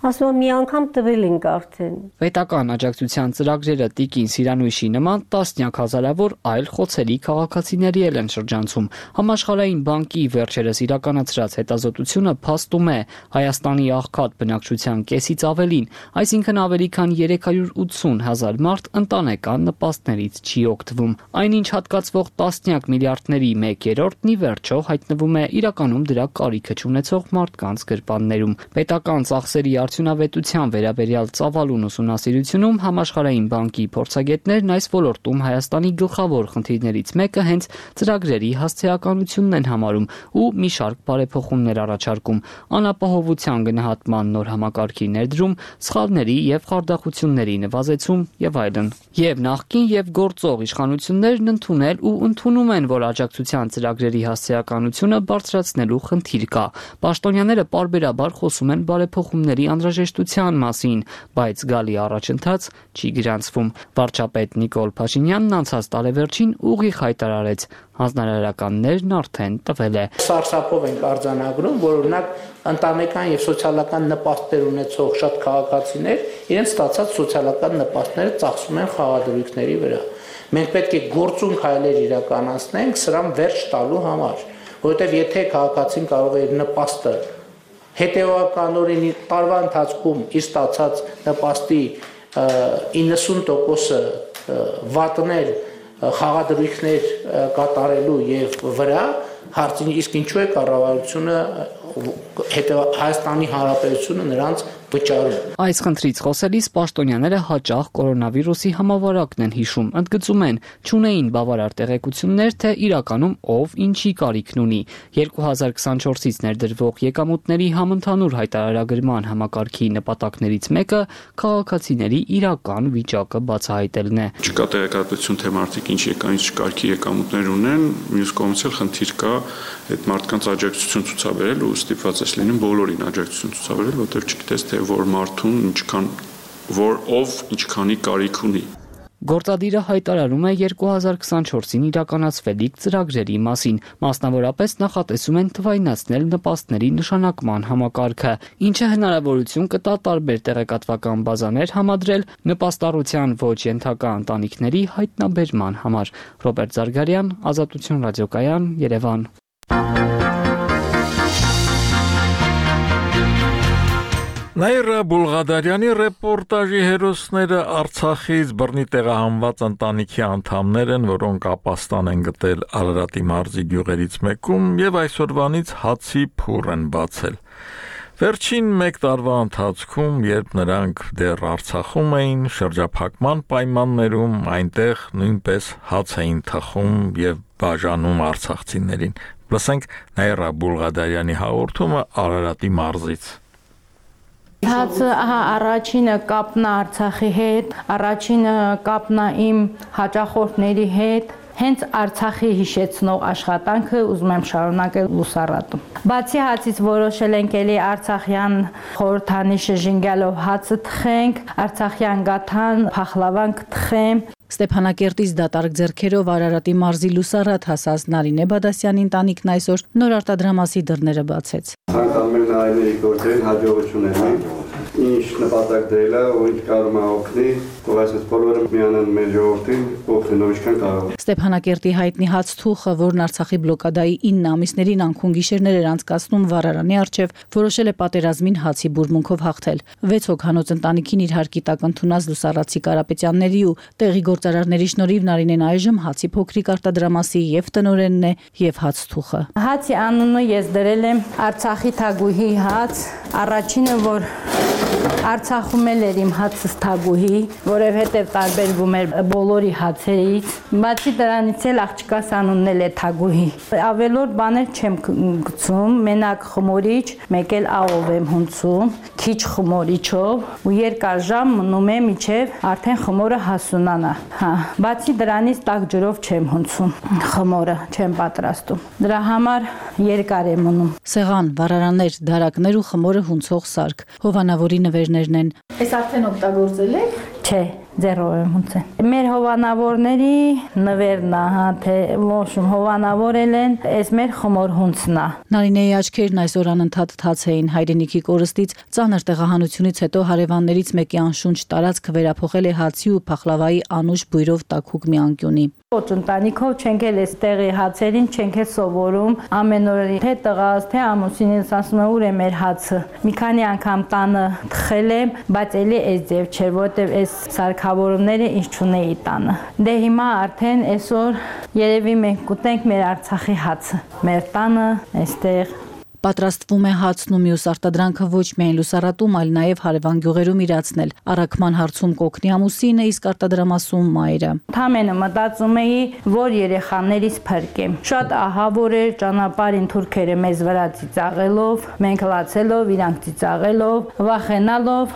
[SPEAKER 19] Ասում եմ, մի անգամ տվել ենք արդեն։
[SPEAKER 11] Պետական աջակցության ծրագրերը Տիկին Սիրանույշի նման տասնյակ հազարավոր այլ խոցելի քաղաքացիների էլ են շրջանցում։ Համաշխարհային բանկի վերջերս իրականացրած հետազոտությունը փաստում է Հայաստանի աղքատ բնակչության կեսից ավելին, այսինքն ավելի քան 380,000 մարդ ընտանեկան նպաստներից չի օգտվում։ Այնինչ հատկացվող տասնյակ միլիարդների 1/3-ն ի վերջո հայտնվում է իրականում դրա կարիքը չունեցող մարդկանց գրպաններում։ Պետական ծախսերի արդյունավետության վերաբերյալ ծավալուն ուսումնասիրությունում Համաշխարհային բանկի փորձագետներն այս ոլորտում Հայաստանի գլխավոր խնդիրներից մեկը հենց ծրագրերի հասցեականությունն են համարում ու մի շարք բարեփոխումներ առաջարկում՝ անապահովության գնահատման նոր համակարգի ներդրում, սխալների եւ խարդախությունների նվազեցում եւ այլն։ Եվ նախկին եւ գործող իշխանություններն ընդունել ու ընդունում են, որ աջակցության ծրագրերի հասցեականությունը բարձրացնելու խնդիր կա։ Պաշտոնյաները պարբերաբար խոսում են բարեփոխումների անհրաժեշտության մասին, բայց գալի առաջընթաց չի գրանցվում։ Վարչապետ Նիկոլ Փաշինյանն անցած տարեվերջին ուղիղ հայտարարեց, հանձնարարականներն արդեն տվել է։
[SPEAKER 20] Սարսափով ենք արձանագրում, որ օրինակ ընտանեկան եւ սոցիալական նպաստներ ունեցող շատ քաղաքացիներ իրենց ստացած սոցիալական նպաստները ծախսում են խաղադրույքների վրա։ Մենք պետք է գործուն քայլեր իրականացնենք սրան վերջ տալու համար, որովհետեւ եթե քաղաքացին կարող է իր նպաստը հետևականորեն տարվա ընթացքում իր ստացած նպաստի 90%-ը վատնել խաղադրույքներ կատարելու եւ վրա հարցին իսկ ինչու է կառավարությունը Հայաստանի Հանրապետությունը նրանց վճարում։
[SPEAKER 11] Այս խնդրից խոսելիս պաշտոնյաները հաճախ կորոնավիրուսի համավարակն են հիշում, ընդգծում են, չունեին բավարար տեղեկություններ, թե իրականում ով ինչի կարիքն ունի։ 2024-ից ներդրվող եկամուտների համընդհանուր հայտարարագրման համակարգի նպատակներից մեկը քաղաքացիների իրական վիճակը բացահայտելն է։
[SPEAKER 21] Չկա տեղեկատվություն, թե մարդիկ ինչ կարգի եկամուտներ ունեն, մյուս կողմից էլ խնդիր կա այդ մարդկանց աջակցություն ցուցաբերել ու ստիպված ես լինում բոլորին աջակցություն ցուցաբերել, որտեղ չգիտես թե որ մարդուն ով ինչքանի կարիք ունի։
[SPEAKER 11] Գործադիրը հայտարարում է 2024-ին իրականացվելիք ծրագրերի մասին, մասնավորապես նախատեսում են թվայնացնել նպաստների նշանակման համակարգը, ինչը հնարավորություն կտա տարբեր տեղեկատվական բազաներ համադրել նպաստառության ոչ ենթակա ընտանիքների հայտնաբերման համար։ Ռոբերտ Զարգարյան, Ազատություն ռադիոկայան, Երևան։
[SPEAKER 1] Նաիրա Բուլղադարյանի ռեպորտաժի հերոսները Արցախից բռնի տեղահանված ընտանիքի անդամներ են, որոնք ապաստան են գտել Արարատի մարզի գյուղերից մեկում եւ այսօրվանից հացի փուռ են բացել։ Վերջին 1 տարվա ընթացքում, երբ նրանք դեռ Արցախում էին, շրջափակման պայմաններում այնտեղ նույնպես հաց էին թխում եւ բաժանում արցախցիներին։ Լսենք Նաիրա Բուլղադարյանի հաղորդումը Արարատի մարզից։
[SPEAKER 22] Հացը առաջինը կապնա Արցախի հետ, առաջինը կապնա իմ հաճախորդների հետ, հենց Արցախի հիշեցնող աշխատանքը ուզում եմ շարունակել Լուսառատում։ Բացի հացից որոշել ենք էլի արցախյան խորհրդանիշը ժինգալով հացը թխենք, արցախյան գաթան, փախլավան կթխեմ։
[SPEAKER 13] Ստեփանակերտից դատարկ ձեռքերով Արարատի մարզի Լուսառատ հասած Նարինե Բադասյանի ընտանիքն այսօր նոր արտադրամասի դռները բացեց։
[SPEAKER 23] Ցանկանում ենք նայել գործերին հաջողություններ, ինչ նպատակ դրել է, ու ինչ կարող է օգնի, ու այսպես բոլորը միանան մեր ժողովրդին, օգնելով ինչքան կարող։
[SPEAKER 13] Ստեփանակերտի հայտնի հաց թուխը, որն Արցախի բլոկադայի 9 ամիսներին անքուն գիշերներ էր անցկացնում վառարանի առջև, որոշել է պատերազմին հացի բուրմունքով հաղթել։ 6 հոգանոց ընտանիքին իր հարկի տակ ընդունած Լուսառացի Կարապետյանների ու տեղի գործարարների շնորհիվ Նարինեն այժմ հացի փոքրիկ արտադրամասի եւ տնօրենն է եւ հաց թուխը։
[SPEAKER 22] Հացի անունը ես դրել եմ Արցախի թագուհի հաց, առաջինը որ Արցախում էր իմ հացս թագուհի, որովհետև տարբերվում էր բոլորի հացերից։ Բացի դրանից էլ աղջկաս անունն էլ է թագուհի։ Ավելորդ բաներ չեմ գցում, մենակ խմորիչ, մեկ էլ աղով եմ հունցում, քիչ խմորիչով ու երկար ժամ մնում է մինչև արդեն խմորը հասունանա։ Բացի դրանից տաք ջրով չեմ հունցում, խմորը չեմ պատրաստում։ Դրա համար երկար եմ մնում։
[SPEAKER 13] Սեղան, վառարաններ, դարակներ ու խմորը հունցող սարք, հովանավորի նվերներն են։
[SPEAKER 22] Այս արդեն օգտագործել եք։ Չէ, ձեռով եմ հունցել։ Մեր հովանավորների նվերն է, թե ոչմ հովանավորել են, այս մեր խմոր հունցն է։
[SPEAKER 13] Նարինեի աչքերն այսօր անընդհատ թաց էին հայրենիքի կորստից, ծանր տեղահանությունից հետո հարևաններից մեկի անշունչ տարածք վերափոխել է հացի ու փախլավայի անուշ բույրով տաքուկ մի անկյունի։
[SPEAKER 22] Ոչ ընտանիքով չենք էլ այստեղի հացերին չենք էլ սովորում, ամեն օր թե տղաս, թե ամուսինս ասում է ուր է մեր հացը։ Մի քանի անգամ տանը թխել եմ, բայց էլի այս ձև չէր, որտեվ այս սարքավորումները ինչ չունեի տանը։ Դե հիմա արդեն այսօր երևի մենք կուտենք մեր Արցախի հացը, մեր տանը այստեղ։
[SPEAKER 13] Պատրաստվում է հացն ու մյուս արտադրանքը ոչ միայն լուսառատում, այլ նաև հարևան գյուղերում իրացնել։ Առաքման հարցում կօգնի ամուսինը, իսկ արտադրամասում մայրը։
[SPEAKER 22] Թամենը մտածում էի, որ երեխաներից փրկեմ։ Շատ ահավոր էր ճանապարհին թուրքերը մեզ վրա ծիծաղելով, մենք լացելով, իրանք ծիծաղելով, վախենալով,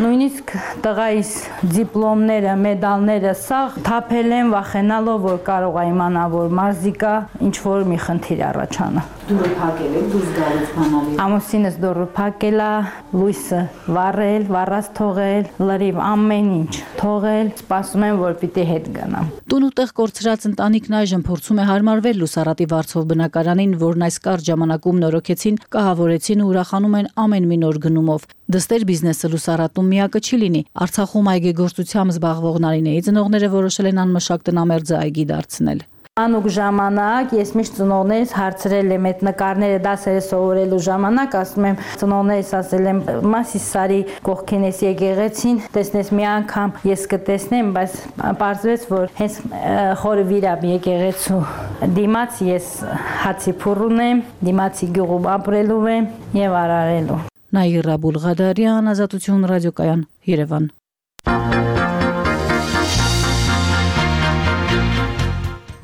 [SPEAKER 22] նույնիսկ տղայիս դիպլոմները, մեդալները սաղ թափել են վախենալով, որ կարող է իմանա, որ մարզիկա ինչ որ մի խնդիր առաջանա։
[SPEAKER 13] Դուրը փակել եք, դուրս գալուց բանալի։
[SPEAKER 22] Ամուսինս դուրը փակել է, լույսը վառել, վառած թողել, լրիվ ամեն ինչ թողել, սպասում եմ, որ պիտի հետ գնամ։
[SPEAKER 13] Տուն ու տեղ կորցրած ընտանիքն այժմ փորձում է հարմարվել լուսառատի վարձով բնակարանին, որն այս կարճ ժամանակում նորոգեցին, կահավորեցին ու ուրախանում են ամեն մի նոր գնումով։ Դստեր բիզնեսը լուսառատում միակը չի լինի։ Արցախում այգեգործությամբ զբաղվող Նարինեի ծնողները որոշել են անմշակ տնամերձը այգի դարձնել։
[SPEAKER 22] Անուկ ժամանակ ես միշտ ծնողներիս հարցրել եմ այդ նկարները դասերը սովորելու ժամանակ, ասում եմ ծնողներիս ասել եմ մասիս սարի կողքին էս եկեղեցին, տեսնես մի անգամ ես կտեսնեմ, բայց պարզվեց, որ հենց խորը վիրապ եկեղեցու դիմաց ես հացի փուռուն եմ, դիմացի գյուղում ապրելու եմ եւ արարելու։
[SPEAKER 13] Նաիրա Բուլղադարյան, Ազատություն ռադիոկայան, Երևան։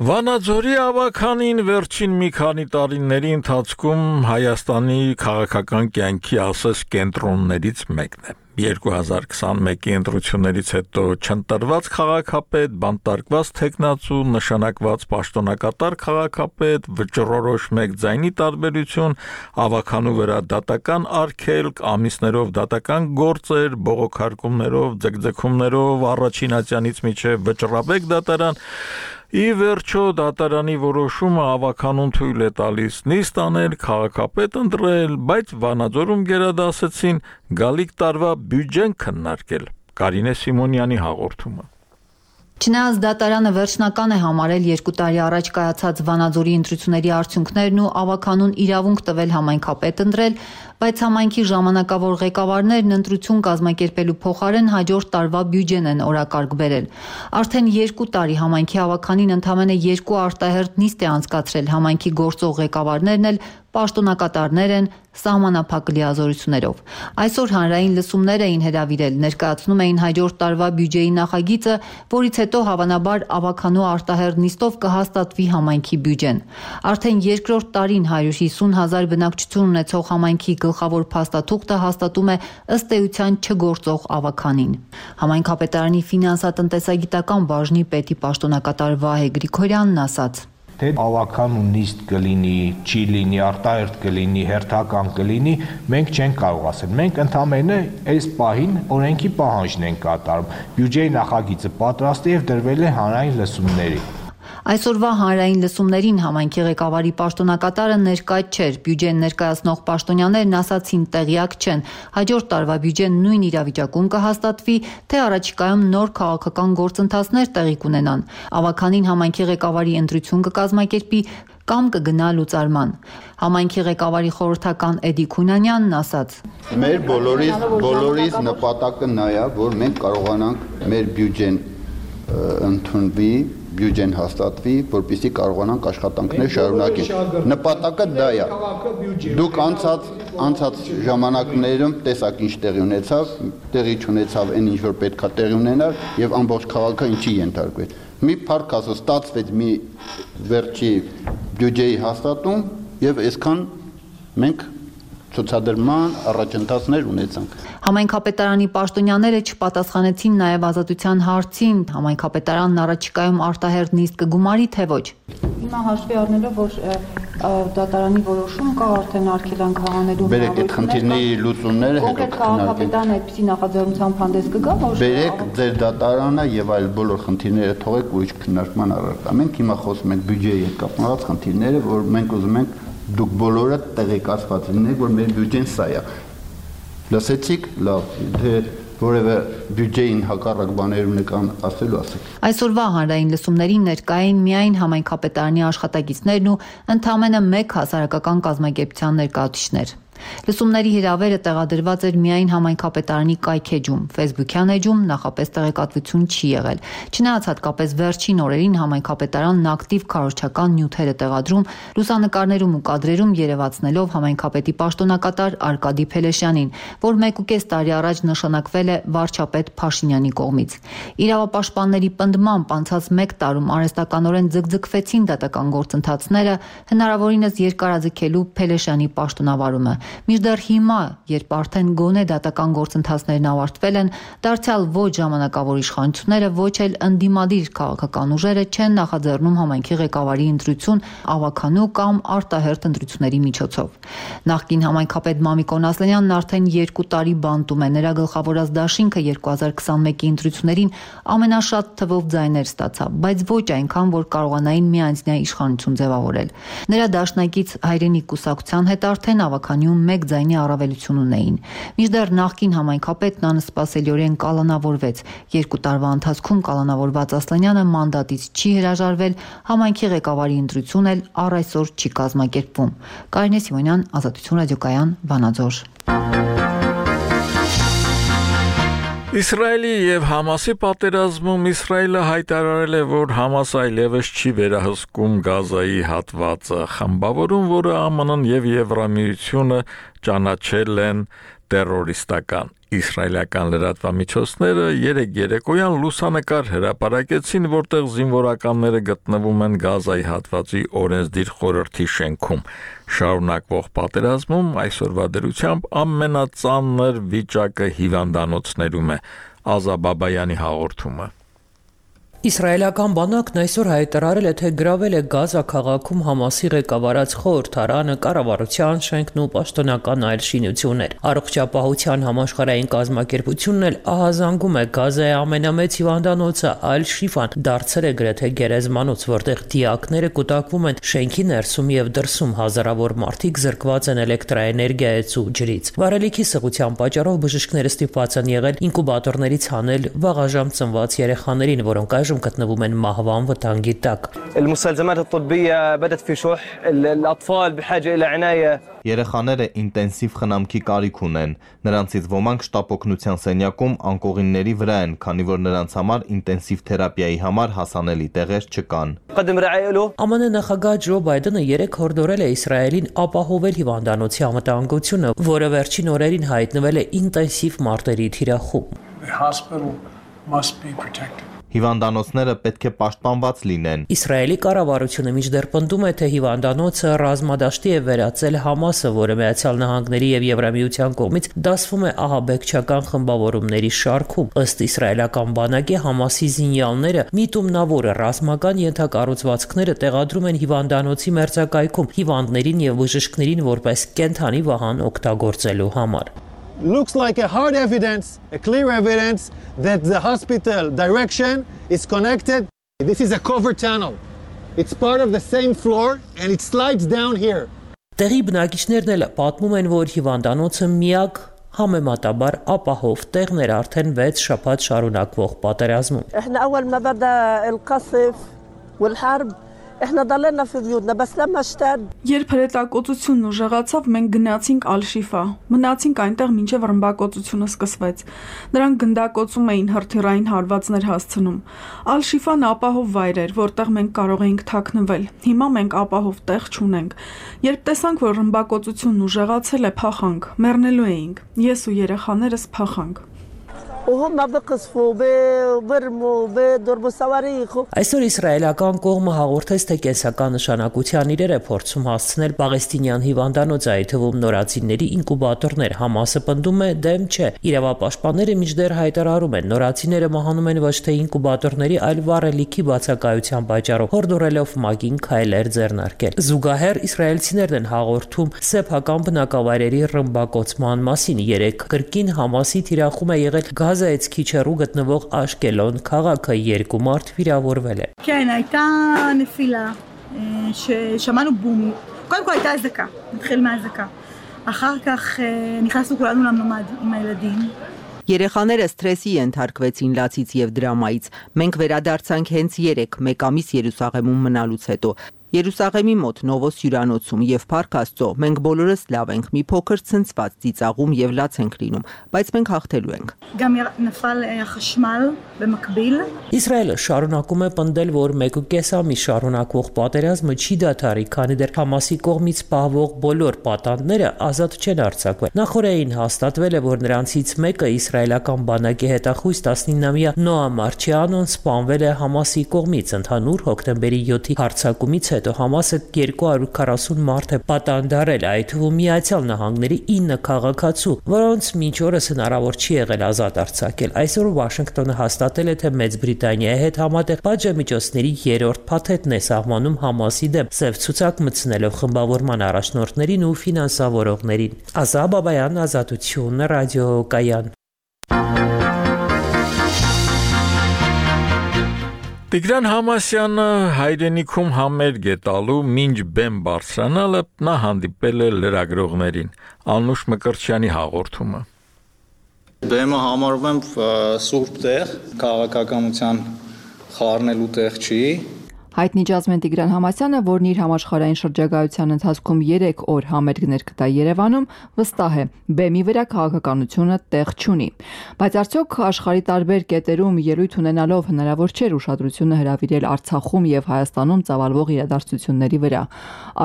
[SPEAKER 1] Վանաձորի ավականին վերջին մի քանի տարիների ընթացքում Հայաստանի քաղաքական կյանքի ասես կենտրոններից մեկն է։ 2021-ի ընտրություններից հետո չընտրված քաղաքապետ, բանտարկված թեկնածու, նշանակված պաշտոնակատար քաղաքապետ, վճռորոշ մեկ ձայնի տարբերություն, ավականու վրա դատական արգելք, ամիսներով դատական գործեր, բողոքարկումներով, ձգձգումներով, առաջին ատյանից մինչև վճռաբեկ դատարան։ Ի վերջո դատարանի որոշումը ավականուն թույլ է տալիս նիստ անել, քաղաքապետ ընտրել, բայց Վանաձորում գերադասեցին գալիք տարվա բյուջեն քննարկել։ Կարինե Սիմոնյանի հաղորդումը։
[SPEAKER 2] Չնայած դատարանը վերջնական է համարել 2 տարի առաջ կայացած Վանաձորի ընտրությունների արդյունքներն ու ավականուն իրավունք տվել համայնքապետ ընտրել, բայց համայնքի ժամանակավոր ղեկավարներն ընտրություն կազմակերպելու փոխարեն հաջորդ տարվա բյուջեն են օրակարգ բերել։ Արդեն 2 տարի համայնքի ավականին ընդամենը 2 արտահերթ նիստ է անցկացրել, համայնքի գործող ղեկավարներն էլ պաշտոնակատարներ են սահմանափակ լիազորություններով։ Այսօր հանրային լսումներ էին հրավիրել, ներկայացնում էին հաջորդ տարվա բյուջեի նախագիծը, որից հետո հավանաբար ավականու արտահերթ նիստով կհաստատվի համայնքի բյուջեն։ Արդեն երկրորդ տարին 150,000 բնակչություն ունեցող համայնքի գլխավոր փաստաթուղթը հաստատում է ըստ էության չգործող ավականին։ Համայնքապետարանի ֆինանսատնտեսագիտական բաժնի պետի պաշտոնակատար Վահե Գրիգորյանն ասաց.
[SPEAKER 3] Թե ավական ու նիստ կլինի, չի լինի, արտահերթ կլինի, հերթական կլինի, մենք չենք կարող ասել։ Մենք ընդամենը այս պահին օրենքի պահանջն ենք կատարում։ Բյուջեի նախագիծը պատրաստ է եւ դրվել է հանրային լսումների։
[SPEAKER 2] Այսօրվա հանրային լսումներին համայնքի ղեկավարի պաշտոնակատարը ներկայ չէր, բյուջեն ներկայացնող պաշտոնյաներն ասացին տեղյակ չեն, հաջորդ տարվա բյուջեն նույն իրավիճակում կհաստատվի, թե առաջիկայում նոր քաղաքական գործընթացներ տեղի կունենան։ Ավականին համայնքի ղեկավարի ընտրություն կկազմակերպի կամ կգնա լուծարման։ Համայնքի ղեկավարի խորհրդական Էդի Քունանյանն ասաց.
[SPEAKER 5] Մեր բոլորիս նպատակը նա է, որ մենք կարողանանք մեր բյուջեն ընդունվի
[SPEAKER 4] բյուջեն հաստատվի, որպեսզի կարողանանք աշխատանքներ շարունակել։ Նպատակը դա է։ Դուք անցած ժամանակներում տեսակ ինչ տեղի չունեցավ այն ինչ որ պետքա տեղի ունենար եւ ամբողջ քաղաքը ինչի ենթարկվեց։ Մի փառք ասած ստացվեց մի վերջի բյուջեի հաստատում եւ այսքան մենք ցուցադրման առաջընթացներ ունեցանք։
[SPEAKER 2] Համայնքապետարանի պաշտոնյաները չպատասխանեցին նաև ազատության հարցին, համայնքապետարանն առաջիկայում արտահերթ նիստ կգումարի թե ոչ։
[SPEAKER 6] Հիմա հաշվի առնելով, որ դատարանի որոշում կա արդեն արգելանքահանելու
[SPEAKER 4] Բերեք այդ խնդիրների լուծումները հետո
[SPEAKER 6] քաղաքապետարանը այդպիսի նախաձեռնությամբ հանդես կգա, որ
[SPEAKER 4] Բերեք ձեր դատարանը եւ այլ բոլոր խնդիրները թողեք ուրիշ քննարկման առարկա։ Մենք հիմա խոսում ենք բյուջեի հետ կապված խնդիրները, որ մենք ուզում ենք դուք բոլորը տեղեկացված լինեք, որ մեր բյուջեն սա է։ Լսեցիք, լավ, թե որևէ բյուջեին հակառակ բաներ ունեկան ասելու ասեք։
[SPEAKER 2] Այսօրվա հանրային լսումներին ներկային միայն համայնքապետարանի աշխատակիցներն ու ընդամենը 1 հասարակական կազմակերպության ներկայացուցիչներ։ Լսումների հրավերը տեղադրված էր միայն համայնքապետարանի կայքեջում, Facebook-յան էջում նախապես տեղեկատվություն չի եղել։ Չնայած հատկապես վերջին օրերին համայնքապետարանն ակտիվ քարոզչական նյութեր է տեղադրում, լուսանկարներում ու կադրերում երևացնելով համայնքապետի պաշտոնակատար Արկադի Փելեշյանին, որ 1.5 տարի առաջ նշանակվել է վարչապետ Փաշինյանի կողմից։ Իրավապաշտպանների պնդմամբ անցած 1 տարում արհեստականորեն ձգձգվեցին դատական գործընթացները, հնարավորինս երկարաձգելու Փելեշյանի պաշտոնավարումը։ Մինչդեռ հիմա, երբ արդեն գոնե դատական գործընթացներն ավարտվել են, դարձյալ ոչ ժամանակավոր իշխանությունները, ոչ էլ ընդդիմադիր քաղաքական ուժերը չեն նախաձեռնում համայնքի ղեկավարի ընտրություն ավականու կամ արտահերթ ընտրությունների միջոցով։ Նախկին համայնքապետ Մամիկոն Ասլանյանն արդեն 2 տարի բանտում է, նրա գլխավորած դաշինքը 2021-ի ընտրություններին ամենաշատ թվով ձայներ ստացավ, բայց ոչ այնքան, որ կարողանային միանձնյա իշխանություն ձևավորել։ Նրա դաշնակից Հայրենիք կուսակցության հետ արդեն ավականիում 1 ձայնի առավելություն ունեին։ Մինչդեռ նախկին համայնքապետն անսպասելիորեն կալանավորվեց։ 2 տարվա ընթացքում կալանավորված Ասլանյանը մանդատից չի հրաժարվել, համայնքի ղեկավարի ընտրություն էլ առ այսօր չի կազմակերպվում։ Կարինե Սիմոնյան, Ազատություն ռադիոկայան, Վանաձոր։
[SPEAKER 1] Իսրայելի եւ Համասի պատերազմում Իսրայելը հայտարարել է, որ Համասը այլևս չի վերահսկում Գազայի հատվածը, խմբավորում, որը ԱՄՆ-ն եւ Եվրամիությունը ճանաչել են terroristական։ Իսրայելական լրատվամիջոցները երեկոյան լուսանկար հրապարակեցին, որտեղ զինվորականները գտնվում են Գազայի հատվածի օրենսդիր խորհրդի շենքում։ Շարունակվող պատերազմում այսօրվա դրությամբ ամենածանր վիճակը հիվանդանոցներում է։ Ազա Բաբայանի հաղորդումը։
[SPEAKER 8] Իսրայելական բանակն այսօր հայտարարել է, թե գրավել է Գազա քաղաքում Համասի ղեկավարած խորհրդարանը, կառավարության շենքն ու պաշտոնական այլ շինություններ։ Առողջապահության համաշխարհային կազմակերպությունն էլ ահազանգում է Գազայի ամենամեծ հիվանդանոցը Ալ-Շիֆան դարձել է գրեթե գերեզմանոց, որտեղ դիակները կուտակվում են շենքի ներսում եւ դրսում, հազարավոր մարդիկ զրկված են էլեկտրաէներգիայից ու ջրից։ Վարելիքի սղության պատճառով բժիշկները ստիպված են եղել ինկուբատորներից հանել վաղաժամ ծնված երեխաներին, որոնք գտնվում են մահվան վտանգի տակ։
[SPEAKER 12] Երեխաները ինտենսիվ խնամքի կարիք ունեն։ Նրանցից ոմանք շտապօգնության սենյակում անկողինների վրա են, քանի որ նրանց համար ինտենսիվ թերապիայի համար հասանելի տեղեր չկան։
[SPEAKER 8] ԱՄՆ նախագահ Ջո Բայդենը 3 հորդորել է Իսրայելին ապահովել հիվանդանոցի անվտանգությունը, որը վերջին օրերին հայտնվել է ինտենսիվ մարտերի թիրախում։
[SPEAKER 12] Հիվանդանոցները պետք է պաշտպանված լինեն։
[SPEAKER 8] Իսրայելի կառավարությունը մինչդեռ պնդում է, թե հիվանդանոցը ռազմադաշտի է վերածել Համասը, որը Միացյալ Նահանգների եւ Եվրամիության կողմից դասվում է ահաբեկչական խմբավորումների շարքում։ Ըստ իսրայելական բանակի, Համասի զինյալները միտումնավոր ռազմական ենթակառուցվածքները տեղադրում են հիվանդանոցի մերձակայքում հիվանդներին եւ բժիշկներին որպես կենթանի վահան օգտագործելու համար։
[SPEAKER 24] Looks like a hard evidence, a clear evidence that the hospital direction is connected. This is a cover tunnel. It's part of the same floor and it slides down here.
[SPEAKER 8] Տեղի բնակիչներն էլ պատմում են, որ հիվանդանոցը միակ համեմատաբար ապահով տեղն էր արդեն 6 շաբաթ շարունակվող պատերազմում։
[SPEAKER 25] احنا اول ما بدا القصف والحرب
[SPEAKER 9] Երբ հրետակոծությունն ուժեղացավ, մենք գնացինք Ալ-Շիֆա։ Մնացինք այնտեղ մինչև ռմբակոծությունը սկսվեց։ Նրանք գնդակոծում էին հրթիռային հարվածներ հասցնում։ Ալ-Շիֆան ապահով վայր էր, որտեղ մենք կարող էինք թաքնվել։ Հիմա մենք ապահով տեղ չունենք։ Երբ տեսանք, որ ռմբակոծությունն ուժեղացել է, փախանք։ Մեռնելու էինք։ Ես ու երեխաներս փախանք։
[SPEAKER 8] Այսօր իսրայելական կողմը հաղորդեց, թե կենսական նշանակության իրեր է փորձում հասցնել պաղեստինյան հիվանդանոց, այդ թվում նորածինների ինկուբատորներ։ Համասը պնդում է դեմ չէ։ Իրավապաշտպանները մինչդեռ հայտարարում են, նորածինները մահանում են ոչ թե ինկուբատորների, այլ վառելիքի բացակայության պատճառով, հորդորելով ՄԱԿ-ին քայլեր ձեռնարկել։ Զուգահեռ իսրայելցիներն են հաղորդում սեփական բնակավայրերի ռմբակոծման մասին։ Երեք կրկին Համասի թիրախում է եղել Գազայից քիչ հեռու գտնվող Աշկելոն քաղաքը, 2 մարդ վիրավորվել է։
[SPEAKER 10] כן, הייתה נפילה ששמענו בום. קודם כל הייתה אזעקה, נתחיל מהאזעקה. אחר כך נכנסנו כולנו לממ"ד עם הילדים.
[SPEAKER 14] Երեխաները սթրեսի ենթարկվեցին լացից եւ դրամայից։ Մենք վերադարձանք հենց 1 ամիս Երուսաղեմում մնալուց հետո։ Երուսաղեմի մոտ Նովոս հյուրանոցում եւ Փառք Աստծո մենք բոլորս լավ ենք, մի փոքր ցնցված ծիծաղում եւ լաց ենք լինում, բայց մենք հաղթելու ենք։
[SPEAKER 8] Իսրայելը շարունակում է պնդել, որ 1.5 ամիս շարունակվող պատերազմը չի դադարի, քանի դեռ Համասի կողմից պահվող բոլոր պատանդները ազատ չեն արձակվել։ Նախորդին հաստատվել է, որ նրանցից մեկը իսրայելական բանակի հետախույզ 19-ամյա Նոա Մարչիանոն սպանվել է Համասի կողմից։ Ընդհանուր հոկտեմբերի 7-ի հարձակումից հետո Համասը 240 մարդ է պատանդարել, այդ թվում Միացյալ Նահանգների 9 քաղաքացու, որոնց մինչ օրս հնարավոր չի եղել ազատ արձակել։ Այսօր Վաշինգտոնը հաստատել է, թե Մեծ Բրիտանիայի հետ համատեղ պատժամիջոցների 3-րդ փաթեթն է սահմանում Համասի դեմ, սև ցուցակ մտցնելով խմբավորման առաջնորդներին ու ֆինանսավորողներին։ Ազա Բաբայան, Ազատություն, ռադիոկայան։
[SPEAKER 1] Տիգրան Համասյանը հայրենիքում համերգ է տալու մինչ բեմ բարձրանալը նա հանդիպել է լրագրողներին։ Անուշ Մկրտչյանի հաղորդումը։
[SPEAKER 15] Բեմը համարում եմ սուրբ տեղ, քաղաքականության խառնելու տեղ չի։
[SPEAKER 25] Հայտնի ջազմեն Տիգրան Համասյանը, որն իր համաշխարհային շրջագայության ընթացքում 3 օր համերգներ կտա Երևանում, վստահ է, բեմի վրա քաղաքականությունը տեղ չունի։ Բայց արդյոք աշխարհի տարբեր կետերում ելույթ ունենալով հնարավոր չէր ուշադրությունը հրավիրել Արցախում եւ Հայաստանում ծավալվող իրադարձությունների վրա։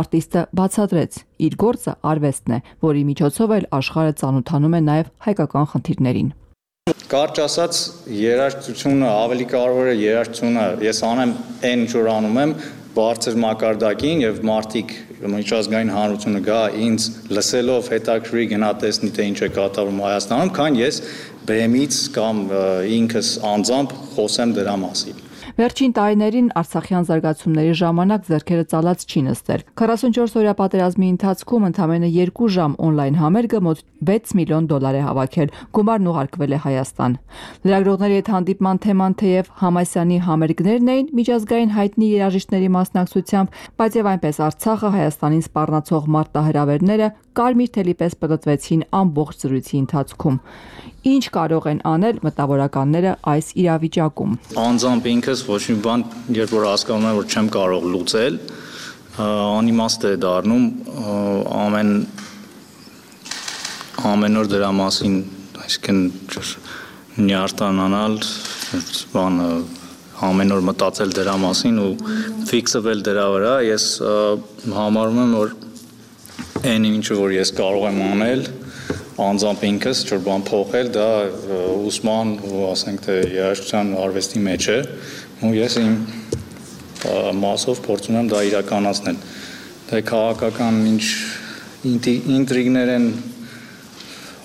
[SPEAKER 25] Արտիստը բացատրեց, իր գործը արվեստն է, որի միջոցով էլ աշխարհը ծանոթանում է նաեւ հայկական խնդիրներին։
[SPEAKER 15] Կարճ ասած, երաժշտությունը ավելի կարևոր է երաժշտությունը, ես անեմ այն ինչ որ անում եմ, բարձր մակարդակին եւ մարդիկ միջազգային հանրությունը գա ինձ լսելով հետաքրքրի գնա տեսնի թե ինչ է կատարվում Հայաստանում, քան ես բեմից կամ ինքս անձամբ խոսեմ դրա մասին։
[SPEAKER 25] Վերջին տարիներին Արցախյան զարգացումների ժամանակ ձեռքերը ծալած չի նստել։ 44-օրյա պատերազմի ընթացքում ընդամենը 2 ժամ օնլայն համերգը մոտ $6 միլիոն է հավաքել, գումարն ուղարկվել է Հայաստան։ Լրագրողների հետ հանդիպման թեման թեև Համասյանի համերգներն էին միջազգային հայտնի երաժիշտների մասնակցությամբ, բայց եւ այնպես Արցախը Հայաստանին սպառնացող մարտահրավերները կարմիր թելի պես պտտվեցին ամբողջ զրույցի ընթացքում։ Ինչ կարող են անել մտավորականները այս իրավիճակում։
[SPEAKER 15] Անձամբ ինքս ոչ մի բան, երբ որ հասկանում եմ, որ չեմ կարող լուծել, անիմաստ է դառնում, ամեն օր դրա մասին, այսինքն նյարդանալ, բանը ամեն օր մտածել դրա մասին ու ֆիքսվել դրա վրա, ես համարում եմ, որ այն ինչը որ ես կարող եմ անել, անձամբ ինքս ինչ-որ բան փոխել, դա ուսման ու ասենք թե երաժշտության արվեստի մեջ է, ու ես իմ մասով փորձում եմ դա իրականացնել։ Դա քաղաքական ինչ ինտրիգներ են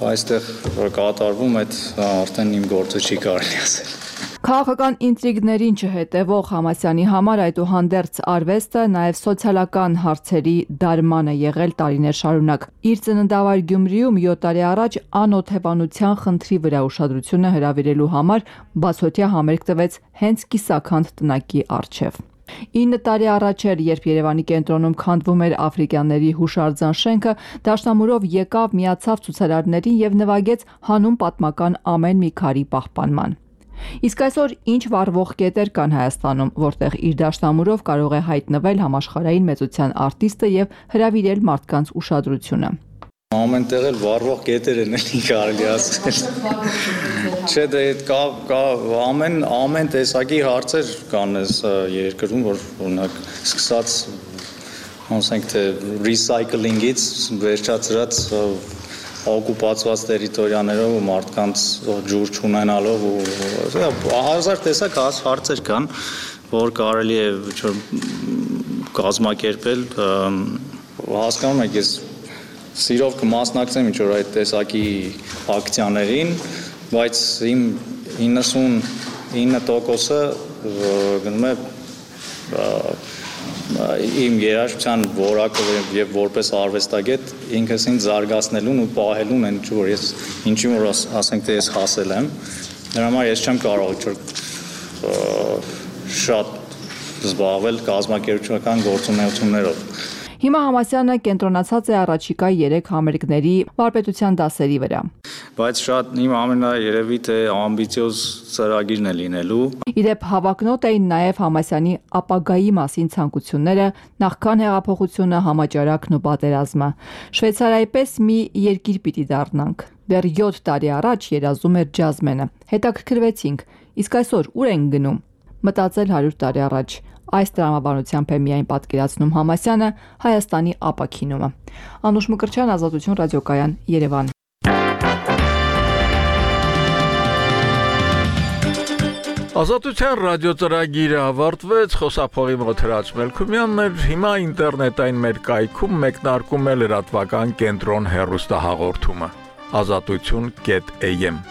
[SPEAKER 15] այստեղ կատարվում, այդ արդեն իմ գործը չի կարելի ասել։
[SPEAKER 25] Քաղաքական ինտրիգներին չհետևող Համասյանի համար այդուհանդերձ արվեստը նաև սոցիալական հարցերի դարման է եղել տարիներ շարունակ։ Իր ծննդավայր Գյումրիում 7 տարի առաջ անօթևանության խնդրի վրա ուշադրությունը հրավիրելու համար բացօթյա համերգ տվեց հենց Կիսաքանդ տնակի առջև։ 9 տարի առաջ էր, երբ Երևանի կենտրոնում քանդվում էր աֆրիկյանների հուշարձան շենքը, դաշնամուրով եկավ, միացավ ցուցարարներին եւ նվագեց հանուն պատմական ամեն մի քարի պահպանման։ Իսկ այսօր ինչ վառվող կետեր կան Հայաստանում, որտեղ իր դաշնամուրով կարող է հայտնվել համաշխարհային մեծության արտիստը եւ հրավիրել մարդկանց ուշադրությունը։
[SPEAKER 15] Ամեն տեղ էլ վառվող կետեր են էլի կարելի ասել։ Չէ, դե կա ամեն տեսակի հարցեր կան այս երկրում, որ օրինակ սկսած ասենք թե recycling-ից վերջացրած օկուպացված տերիտորիաներով ու մարդկանց ջուր չունենալով ու հազար տեսակ հարցեր կան, որ կարելի է կազմակերպել, հասկանում եք, ես սիրով կմասնակցեմ ինչ-որ այդ տեսակի ակցիաներին, բայց իմ 99%-ը գնում է իմ երաժշտության որակով եւ որպես արվեստագետ ինքս ինձ զարգացնելուն ու պահելուն են ինչ որ ես ինչի որ ասենք թե ես հասել եմ դրա համար ես չեմ կարող շատ զբաղվել կազմակերպչական գործունեություններով։
[SPEAKER 25] Հիմա Համասյանը կենտրոնացած է առաջիկա 3 համերգների վարպետության դասերի վրա։
[SPEAKER 15] Բայց շատ իմ ամենաերևի թե ամբիցիոզ ծրագիրն է լինելու։
[SPEAKER 25] Իդեպ հավակնոտ էին նաև Համասյանի ապագայի մասին ցանկությունները, նախքան հեղափոխությունը, համաճարակն ու պատերազմը։ Շվեյցարիայի պես մի երկիր պիտի դառնանք։ Դեռ 7 տարի առաջ երազում էր ջազմենը։ Հետաքրքրվեցինք, իսկ այսօր ուր ենք գնում։ Մտածել 100 տարի առաջ։ Այս տրամաբանությամբ է միայն պատկերացնում Համասյանը Հայաստանի ապաքինումը։ Անուշ Մկրտչյան, Ազատություն ռադիոկայան, Երևան։
[SPEAKER 1] Ազատության ռադիոծրագիրը ավարտվեց, խոսափողի մոտ Հրաչ Մելքումյանն էր, հիմա ինտերնետային մեր կայքում մեկնարկում է լրատվական կենտրոն հեռուստահաղորդումը, azatutun.am